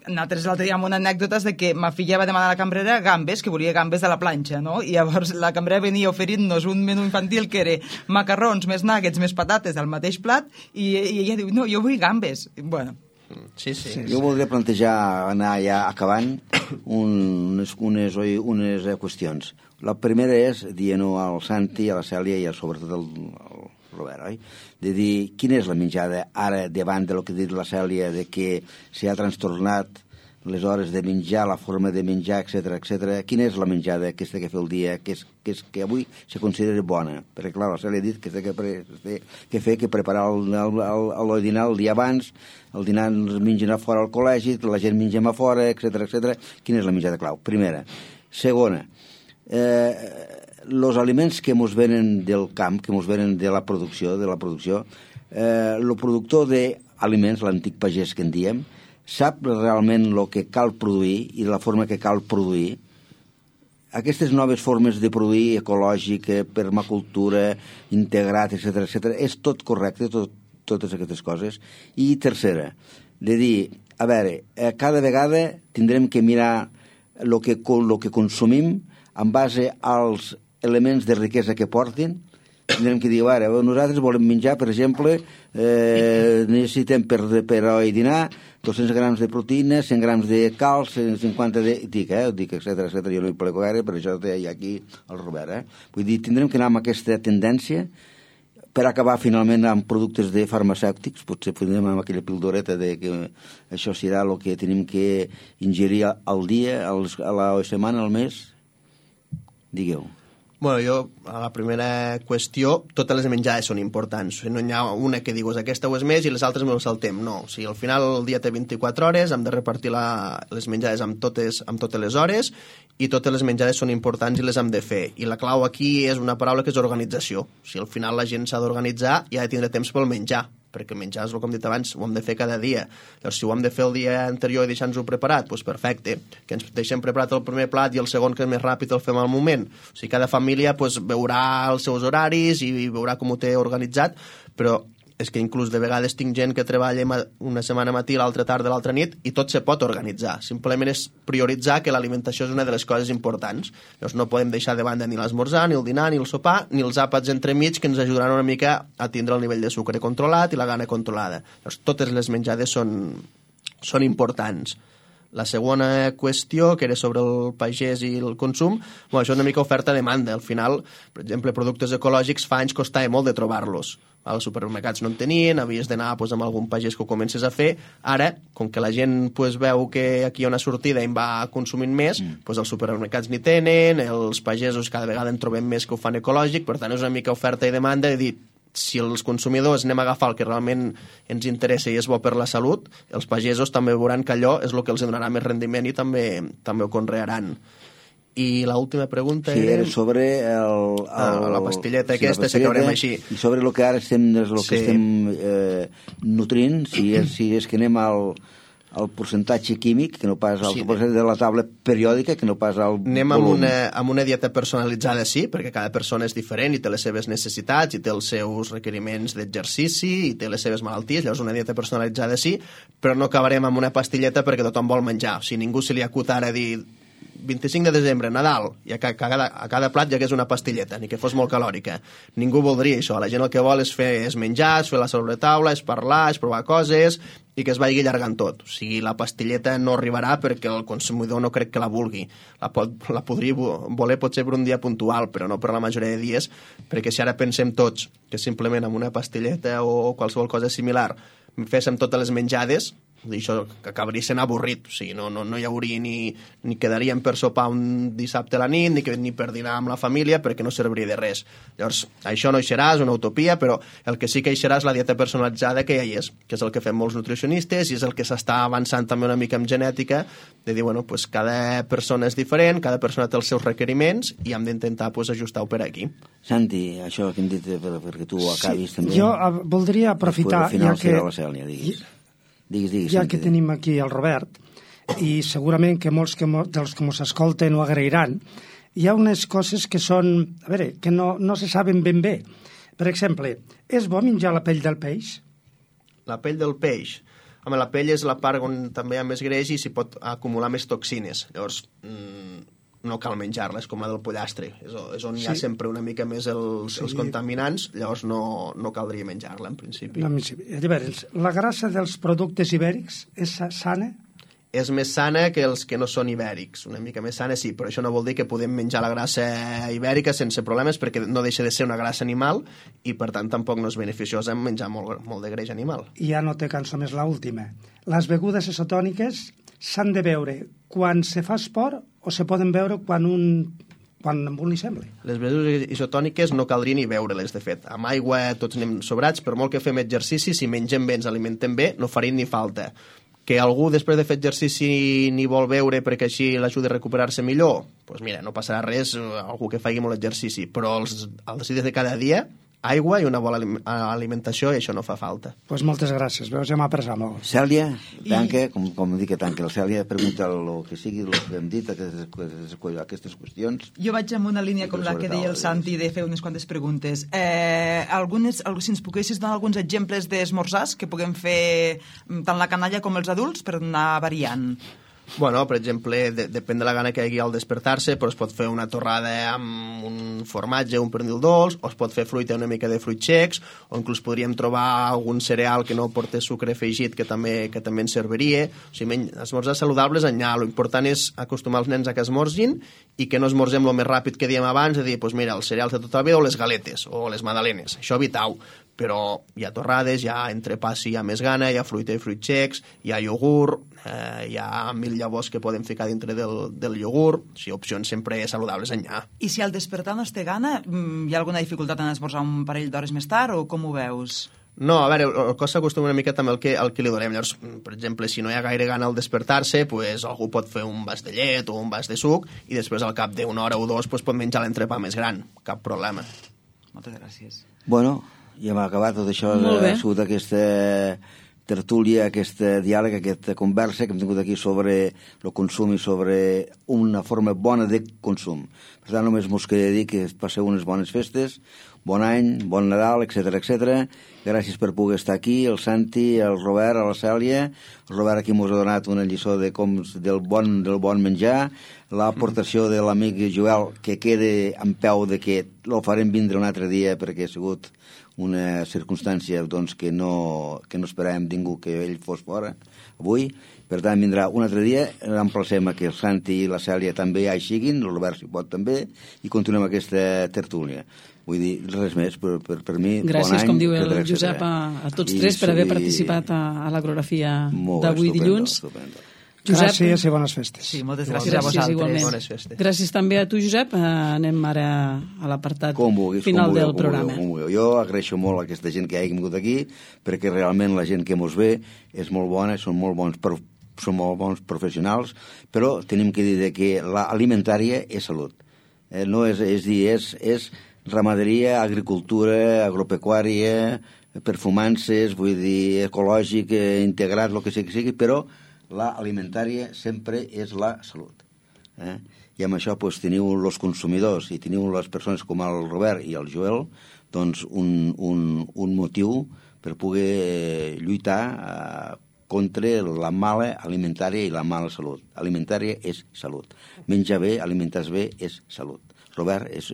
nosaltres l'altre dia amb una anècdota de que ma filla va demanar a la cambrera gambes, que volia gambes de la planxa, no? I llavors la cambrera venia oferint-nos un menú infantil que era macarrons, més nuggets, més patates al mateix plat i ella diu, no, jo vull gambes. Bueno, sí. Jo voldria plantejar, anar ja acabant, unes qüestions. La primera és dir-ho al Santi, a la Cèlia i sobretot al Robert, oi? De dir, quina és la menjada ara davant del que ha dit la Cèlia, de que s'ha trastornat les hores de menjar, la forma de menjar, etc. Quina és la menjada aquesta que fer el dia, que avui se considera bona? Perquè, clar, la Cèlia ha dit que preparar el dinar el dia abans, el dinar ens mengen a fora al col·legi, la gent mengem a fora, etc. Quina és la menjada clau? Primera. Segona, els aliments que ens venen del camp, que ens venen de la producció, el productor d'aliments, l'antic pagès que en diem, sap realment el que cal produir i de la forma que cal produir. Aquestes noves formes de produir, ecològic, permacultura, integrat, etc., és tot correcte, totes aquestes coses. I tercera, de dir, a veure, cada vegada tindrem que mirar el que consumim en base als elements de riquesa que portin. Tindrem que dir, ara, nosaltres volem menjar, per exemple, necessitem per dinar 200 grams de proteïna, 100 grams de calç, 150 de... Dic, etc. Jo no hi plego gaire, per això hi ha aquí el Robert. Vull dir, tindrem que anar amb aquesta tendència per acabar finalment amb productes de farmacèutics, potser podem amb aquella pildoreta de que això serà el que tenim que ingerir al dia, a la setmana, al mes. Digueu. Bueno, jo, a la primera qüestió, totes les menjades són importants. No hi ha una que digues aquesta ho és més i les altres me ho saltem. No, o sigui, al final el dia té 24 hores, hem de repartir les menjades amb totes les hores i totes les menjades són importants i les hem de fer. I la clau aquí és una paraula que és organització. O sigui, al final la gent s'ha d'organitzar i ha de tindre temps pel menjar, perquè menjar és el que hem dit abans, ho hem de fer cada dia. Llavors, si ho hem de fer el dia anterior i deixar-nos-ho preparat, doncs perfecte, que ens deixem preparat el primer plat i el segon, que és més ràpid, el fem al moment. O sigui, cada família doncs, veurà els seus horaris i veurà com ho té organitzat, però és que inclús de vegades tinc gent que treballa una setmana matí, l'altra tarda, l'altra nit, i tot se pot organitzar. Simplement és prioritzar que l'alimentació és una de les coses importants. Llavors no podem deixar de banda ni l'esmorzar, ni el dinar, ni el sopar, ni els àpats entremig que ens ajudaran una mica a tindre el nivell de sucre controlat i la gana controlada. Llavors totes les menjades són importants. La segona qüestió, que era sobre el pagès i el consum, bueno, això és una mica oferta-demanda. Al final, per exemple, productes ecològics fa anys costava molt de trobar-los. Als supermercats no en tenien, havies d'anar amb algun pagès que ho comences a fer. Ara, com que la gent veu que aquí hi ha una sortida i en va consumint més, els supermercats n'hi tenen, els pagesos cada vegada en trobem més que ho fan ecològic, per tant és una mica oferta i demanda de dir, si els consumidors anem a agafar el que realment ens interessa i és bo per la salut, els pagesos també veuran que allò és el que els donarà més rendiment i també ho conrearan. I l'última pregunta era sobre la pastilleta aquesta, si acabarem així. I sobre el que ara estem nutrint, si és que anem al percentatge químic, que no pas al percentatge de la taula periòdica, que no pas al anem amb una dieta personalitzada, sí, perquè cada persona és diferent i té les seves necessitats i té els seus requeriments d'exercici i té les seves malalties, llavors una dieta personalitzada sí, però no acabarem amb una pastilleta perquè tothom vol menjar. O sigui, ningú se li acut ara dir 25 de desembre, Nadal, i a cada plat hi hagués una pastilleta, ni que fos molt calòrica. Ningú voldria això. La gent el que vol és menjar, és fer la sobretaula, és parlar, és provar coses i que es vagi allargant tot. O sigui, la pastilleta no arribarà perquè el consumidor no crec que la vulgui. La podria voler potser per un dia puntual, però no per la majoria de dies, perquè si ara pensem tots que simplement amb una pastilleta o qualsevol cosa similar féssim totes les menjades, això que acabaria sent avorrit, o sigui, no hi hauria ni quedaríem per sopar un dissabte a la nit, ni per dinar amb la família, perquè no serviria de res. Llavors, això no hi serà, és una utopia, però el que sí que hi serà és la dieta personalitzada que ja hi és, que és el que fem molts nutricionistes i és el que s'està avançant també una mica en genètica, de dir, bueno, pues cada persona és diferent, cada persona té els seus requeriments i hem d'intentar ajustar-ho per aquí. Santi, això que hem dit perquè tu acabis també. Jo voldria aprofitar, ja que tenim aquí el Robert, i segurament que molts dels que ens escolten ho agrairan, hi ha unes coses que són, a veure, que no se saben ben bé. Per exemple, és bo menjar la pell del peix? La pell del peix? Home, la pell és la part on també hi ha més greix i s'hi pot acumular més toxines. Llavors, no cal menjar-la, és com la del pollastre. És on hi ha sempre una mica més els contaminants, llavors no caldria menjar-la, en principi. Llavors, la grassa dels productes ibèrics és sana? És més sana que els que no són ibèrics, una mica més sana sí, però això no vol dir que podem menjar la grassa ibèrica sense problemes perquè no deixa de ser una grassa animal i per tant tampoc no és beneficiosa menjar molt de greix animal. I ja no té cançó més l'última. Les begudes isotòniques s'han de beure quan se fa esport o se poden beure quan a un li sembla? Les begudes isotòniques no caldria ni beure-les, de fet. Amb aigua tots anem sobrats, per molt que fem exercici, si mengem bé, ens alimentem bé, no farien ni falta. Que algú després de fer exercici ni vol beure perquè així l'ajuda a recuperar-se millor, doncs mira, no passarà res, algú que faci molt exercici, però els dies de cada dia, aigua i una bona alimentació i això no fa falta. Doncs moltes gràcies, veus, ja m'ha apressat molt. Cèlia, tanca, com dic que tanca, la Cèlia pregunta el que sigui, el que hem dit, aquestes qüestions. Jo vaig amb una línia com la que deia el Santi de fer unes quantes preguntes. Si ens poguessis donar alguns exemples d'esmorzars que puguem fer tant la canalla com els adults per anar variant. Bueno, per exemple, depèn de la gana que hi hagi al despertar-se, però es pot fer una torrada amb un formatge, un pernil dolç, o es pot fer fruita, una mica de fruits secs, o inclús podríem trobar algun cereal que no porti sucre afegit que també ens serviria. O sigui, esmorzar saludables enllà. L'important és acostumar els nens a que esmorzin i que no esmorzem el més ràpid que diem abans, de dir, doncs mira, els cereals de tota la vida o les galetes o les magdalenes. Això evitau. Però hi ha torrades, hi ha entrepà si hi ha més gana, hi ha fruita i fruits secs, hi ha iogurt, hi ha 1000 llavors que podem ficar dintre del iogurt, o sigui, opcions sempre saludables enllà. I si al despertar no es té gana, hi ha alguna dificultat en esmorzar un parell d'hores més tard, o com ho veus? No, a veure, el cos s'acostuma una mica també al que li donem. Llavors, per exemple, si no hi ha gaire gana al despertar-se, pues, algú pot fer un vas de llet o un vas de suc i després al cap d'una hora o dos pues, pot menjar l'entrepà més gran. Cap problema. Moltes gràcies. Bueno, ja hem acabat tot això. Ha sigut aquesta tertúlia, aquest diàleg, aquesta conversa que hem tingut aquí sobre el consum i sobre una forma bona de consum. Per tant, només mos queda dir que passeu unes bones festes, bon any, bon Nadal, etc. Gràcies per poder estar aquí, el Santi, el Robert, la Cèlia. El Robert aquí mos ha donat una lliçó del bon menjar, l'aportació de l'amic Joel, que queda en peu de que lo farem vindre un altre dia perquè ha sigut una circumstància doncs, que no esperàvem ningú que ell fos fora avui. Per tant, vindrà un altre dia, emplacem a que el Santi i la Cèlia també hi siguin, el Robert si pot també, i continuem aquesta tertúlia. Vull dir, res més, per mi, gràcies, bon any. Com diu el Josep, a tots tres per haver participat a l'agorafia d'avui dilluns. Josep, gràcies i bones festes. Sí, moltes gràcies a vosaltres. Bones festes. Gràcies també a tu, Josep. Anem ara a l'apartat final del programa. Jo agraeixo molt a aquesta gent que ha vingut aquí, perquè realment la gent que mos ve és molt bona, són molt bons professionals, però tenim que dir que l'alimentària és salut. No és ramaderia, agricultura, agropecuària, perfumances, vull dir, ecològic, integrat, el que sigui, però l'alimentària sempre és la salut. I amb això doncs, teniu els consumidors i teniu les persones com el Robert i el Joel doncs, un motiu per poder lluitar contra la mala alimentària i la mala salut. Alimentària és salut. Menjar bé, alimentar-se bé és salut. Robert, és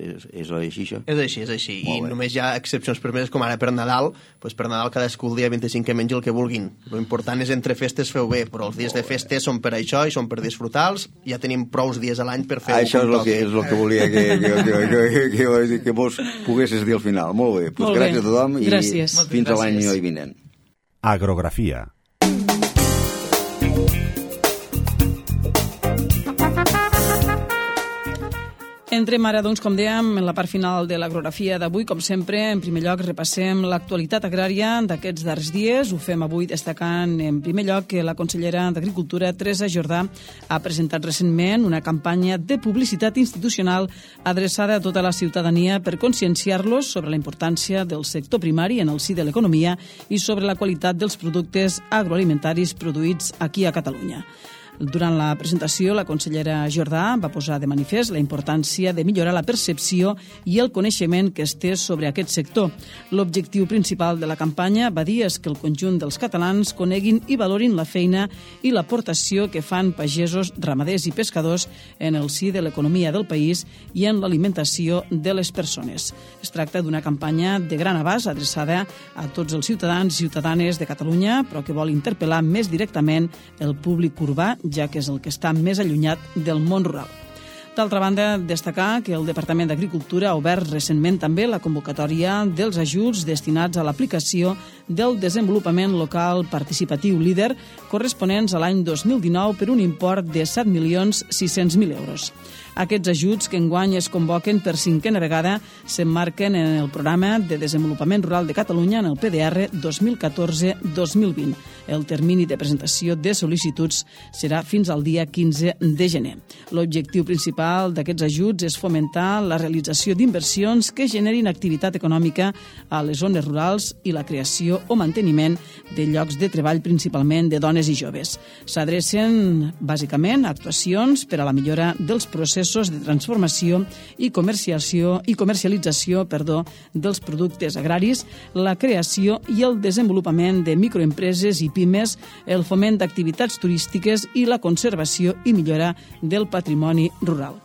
així això? És així. I només hi ha excepcions permeses, com ara per Nadal. Doncs per Nadal cadascú el dia 25 que mengi el que vulguin. L'important és entre festes feu bé, però els dies de festes són per això i són per disfrutar-los. Ja tenim prous dies a l'any per fer-ho. Això és el que volia que vos poguessis dir al final. Molt bé. Gràcies a tothom i fins a l'any vinent. Agrografia. Entrem ara, doncs, com dèiem, en la part final de l'agrografia d'avui. Com sempre, en primer lloc, repassem l'actualitat agrària d'aquests darrers dies. Ho fem avui destacant, en primer lloc, que la consellera d'Agricultura, Teresa Jordà, ha presentat recentment una campanya de publicitat institucional adreçada a tota la ciutadania per conscienciar-los sobre la importància del sector primari en el si de l'economia i sobre la qualitat dels productes agroalimentaris produïts aquí a Catalunya. Durant la presentació, la consellera Jordà va posar de manifest la importància de millorar la percepció i el coneixement que es té sobre aquest sector. L'objectiu principal de la campanya, va dir, és que el conjunt dels catalans coneguin i valorin la feina i l'aportació que fan pagesos, ramaders i pescadors en el si de l'economia del país i en l'alimentació de les persones. Es tracta d'una campanya de gran abast adreçada a tots els ciutadans i ciutadanes de Catalunya, però que vol interpel·lar més directament el públic urbà, ja que és el que està més allunyat del món rural. D'altra banda, destacar que el Departament d'Agricultura ha obert recentment també la convocatòria dels ajuts destinats a l'aplicació del desenvolupament local participatiu líder corresponents a l'any 2019 per un import de 7.600.000 euros. Aquests ajuts, que enguany es convoquen per 5a vegada, s'emmarquen en el Programa de Desenvolupament Rural de Catalunya en el PDR 2014-2020. El termini de presentació de sol·licituds serà fins al dia 15 de gener. L'objectiu principal d'aquests ajuts és fomentar la realització d'inversions que generin activitat econòmica a les zones rurals i la creació o manteniment de llocs de treball, principalment de dones i joves. S'adrecen, bàsicament, a actuacions per a la millora dels processos processos de transformació i comercialització dels productes agraris, la creació i el desenvolupament de microempreses i pimes, el foment d'activitats turístiques i la conservació i millora del patrimoni rural.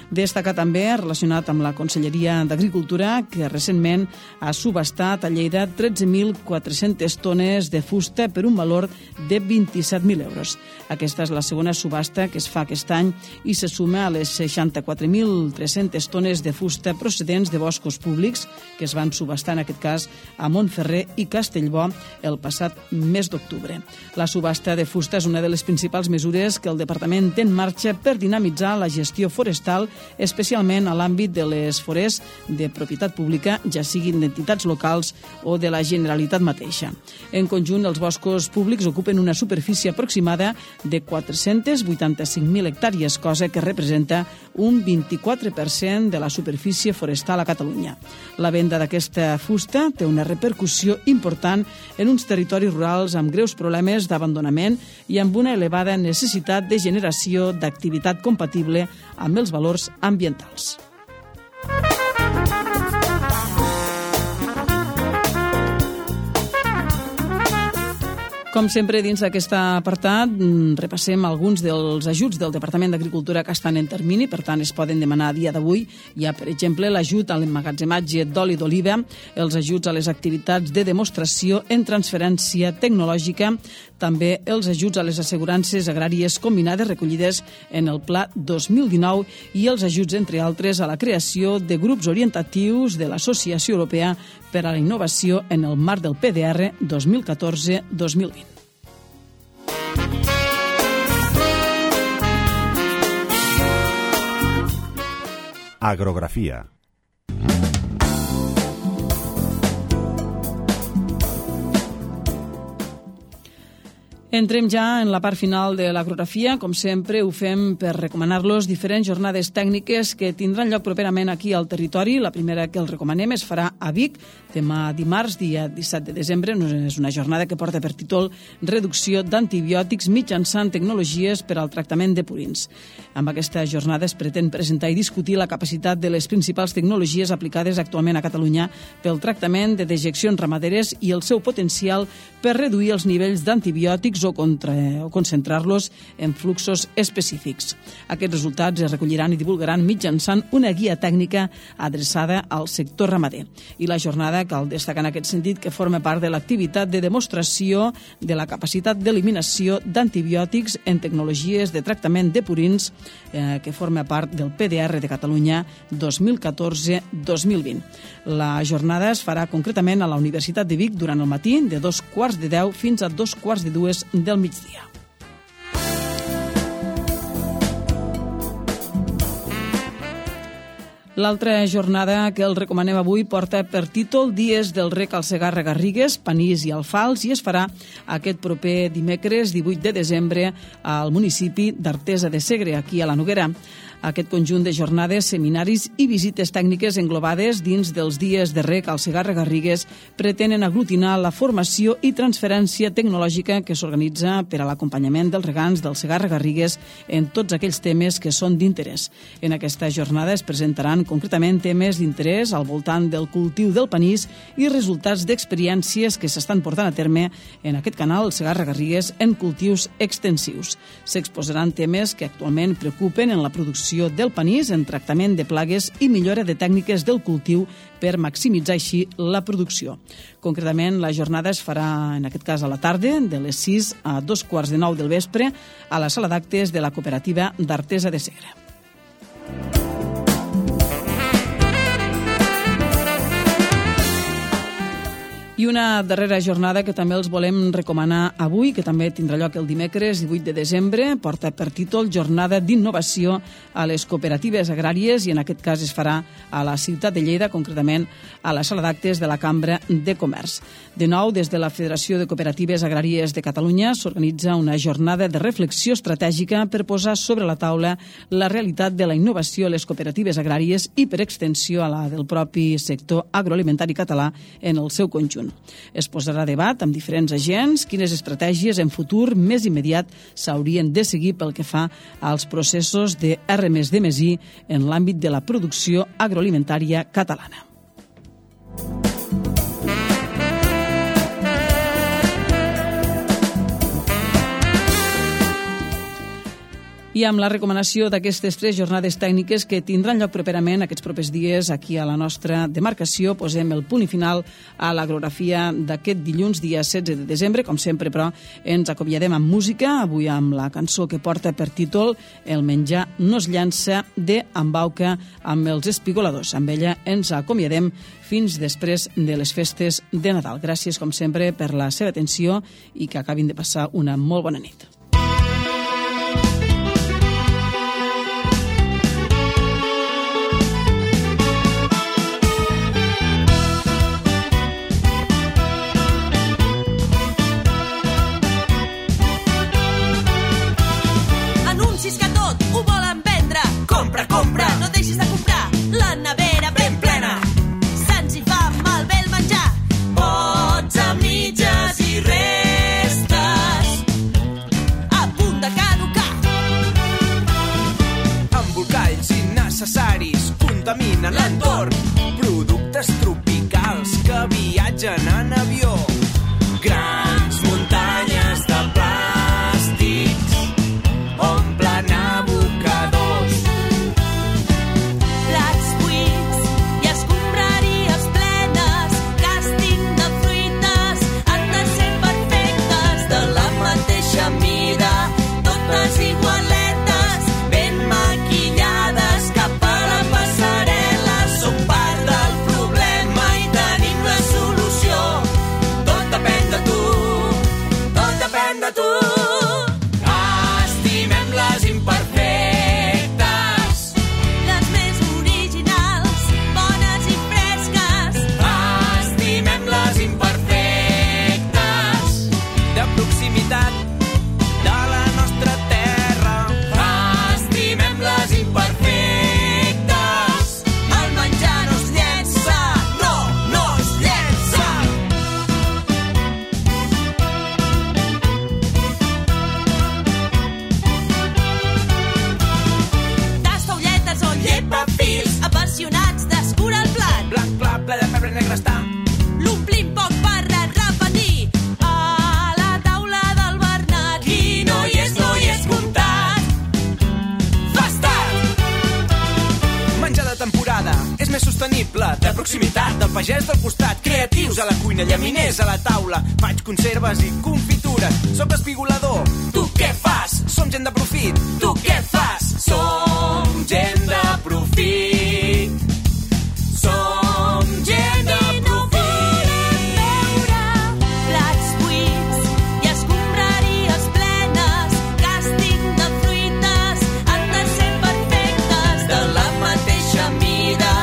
Destaca també, relacionat amb la Conselleria d'Agricultura, que recentment ha subhastat a Lleida 13.400 tones de fusta per un valor de 27.000 euros. Aquesta és la segona subhasta que es fa aquest any i se suma a les 64.300 tones de fusta procedents de boscos públics que es van subhastar, en aquest cas, a Montferrer i Castellbò el passat mes d'octubre. La subhasta de fusta és una de les principals mesures que el Departament té en marxa per dinamitzar la gestió forestal, especialment a l'àmbit de les forests de propietat pública, ja siguin d'entitats locals o de la Generalitat mateixa. En conjunt, els boscos públics ocupen una superfície aproximada de 485.000 hectàrees, cosa que representa un 24% de la superfície forestal a Catalunya. La venda d'aquesta fusta té una repercussió important en uns territoris rurals amb greus problemes d'abandonament i amb una elevada necessitat de generació d'activitat compatible amb els valors ambientals. Com sempre, dins d'aquest apartat, repassem alguns dels ajuts del Departament d'Agricultura que estan en termini, per tant, es poden demanar a dia d'avui. Hi ha, per exemple, l'ajut a l'emmagatzematge d'oli d'oliva, els ajuts a les activitats de demostració en transferència tecnològica, també els ajuts a les assegurances agràries combinades recollides en el Pla 2019 i els ajuts, entre altres, a la creació de grups orientatius de l'Associació Europea per a la Innovació en el marc del PDR 2014-2020. Agrografia. Entrem ja en la part final de l'agrografia. Com sempre, ho fem per recomanar-los diferents jornades tècniques que tindran lloc properament aquí al territori. La primera que els recomanem es farà a Vic, demà dimarts, dia 17 de desembre. És una jornada que porta per títol Reducció d'antibiòtics mitjançant tecnologies per al tractament de purins. Amb aquesta jornada es pretén presentar i discutir la capacitat de les principals tecnologies aplicades actualment a Catalunya pel tractament de dejeccions ramaderes i el seu potencial per reduir els nivells d'antibiòtics o concentrar-los en fluxos específics. Aquests resultats es recolliran i divulgaran mitjançant una guia tècnica adreçada al sector ramader. I la jornada, cal destacar en aquest sentit, que forma part de l'activitat de demostració de la capacitat d'eliminació d'antibiòtics en tecnologies de tractament de purins que forma part del PDR de Catalunya 2014-2020. La jornada es farà concretament a la Universitat de Vic durant el matí de 2:15 fins a 2:45 del migdia. L'altra jornada que el recomanem avui porta per títol Dies del Rec al Segarra-Garrigues, Panís i Alfals i es farà aquest proper dimecres 18 de desembre al municipi d'Artesa de Segre, aquí a la Noguera. Aquest conjunt de jornades, seminaris i visites tècniques englobades dins dels Dies de Rec al Segarra-Garrigues pretenen aglutinar la formació i transferència tecnològica que s'organitza per a l'acompanyament dels regants del Segarra-Garrigues en tots aquells temes que són d'interès. En aquesta jornada es presentaran concretament temes d'interès al voltant del cultiu del panís i resultats d'experiències que s'estan portant a terme en aquest canal, el Segarra-Garrigues, en cultius extensius. S'exposaran temes que actualment preocupen en la producció del panís, en tractament de plagues i millora de tècniques del cultiu per maximitzar així la producció. Concretament, la jornada es farà, en aquest cas, a la tarda, de les 6 a 2:15 del vespre, a la sala d'actes de la cooperativa d'Artesa de Segre. I una darrera jornada que també els volem recomanar avui, que també tindrà lloc el dimecres 18 de desembre, porta per títol Jornada d'Innovació a les Cooperatives Agràries i en aquest cas es farà a la ciutat de Lleida, concretament a la sala d'actes de la Cambra de Comerç. De nou, des de la Federació de Cooperatives Agràries de Catalunya s'organitza una jornada de reflexió estratègica per posar sobre la taula la realitat de la innovació a les cooperatives agràries i, per extensió, a la del propi sector agroalimentari català en el seu conjunt. món. Es posarà a debat amb diferents agents quines estratègies en futur més immediat s'haurien de seguir pel que fa als processos de R+D+I en l'àmbit de la producció agroalimentària catalana. I amb la recomanació d'aquestes 3 jornades tècniques que tindran lloc properament aquests propers dies aquí a la nostra demarcació, posem el punt i final a l'agrografia d'aquest dilluns, dia 16 de desembre. Com sempre, però, ens acomiadem amb música, avui amb la cançó que porta per títol El menjar no es llança, de Embauca amb els Espigoladors. Amb ella ens acomiadem fins després de les festes de Nadal. Gràcies, com sempre, per la seva atenció i que acabin de passar una molt bona nit. Compra, no deixis de comprar, la nevera ben plena. Se'ns hi fa malbé el menjar, pots a mitges i restes a punt de caducar. Embolcalls innecessaris contaminen l'entorn, productes tropicals que viatgen en avió, grans muntanyes de plàstics omplen abocadors. Igualetes ben maquillades cap a la passarel·la, som part del problema i tenim la solució. Tot depèn de tu, tot depèn de tu. Estimem les imperfectes, les més originals, bones i fresques. Estimem les imperfectes, de proximitat, de la nostra terra. Estimem les imperfectes. El menjar no es llença, no es llença. Tasta ulletes o llepafils, apassionats d'escurar el plat. Blanc clar, ple de pebre negre està. L'omplim poc per repetir. A la taula del Bernat, qui no hi és comptat. Fas tard. Menjar de temporada és més sostenible, de proximitat, del pagès del costat, creatius a la cuina, llaminers a la taula, faig conserves i confitures, soc espigolador. Tu què fas? Som gent de profit. Tu què fas? Som gent de profit. Som gent de profit. Plats buits i escombraries plenes, càsting de fruites, han de ser perfectes, de la mateixa mida,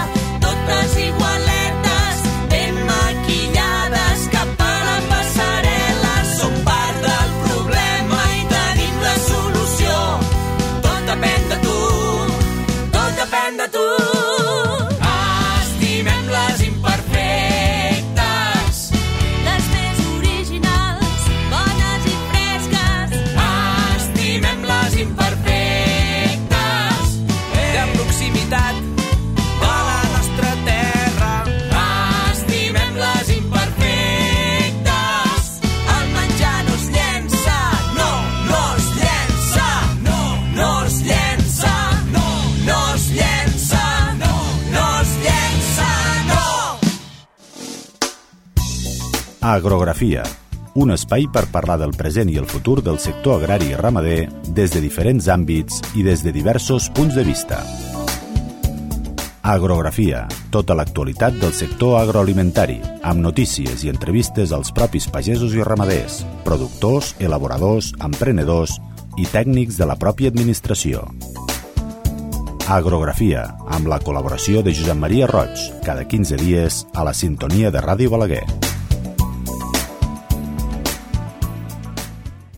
totes igualetes, ben maquillades cap a la passarel·la. Som part del problema i tenim la solució. Tot depèn de tu, tot depèn de tu. Estimem les imperfectes, les més originals, bones i fresques. Estimem les imperfectes, De proximitat, de la nostra terra. estimem les imperfectes. El menjar no es llença, no es llença, no es llença, no es llença, no es llença, no. Agrografia, un espai per parlar del present i el futur del sector agrari i ramader des de diferents àmbits i des de diversos punts de vista. Agrografia, tota l'actualitat del sector agroalimentari, amb notícies i entrevistes als propis pagesos i ramaders, productors, elaboradors, emprenedors i tècnics de la pròpia administració. Agrografia, amb la col·laboració de Josep Maria Roig, cada 15 dies a la sintonia de Ràdio Balaguer.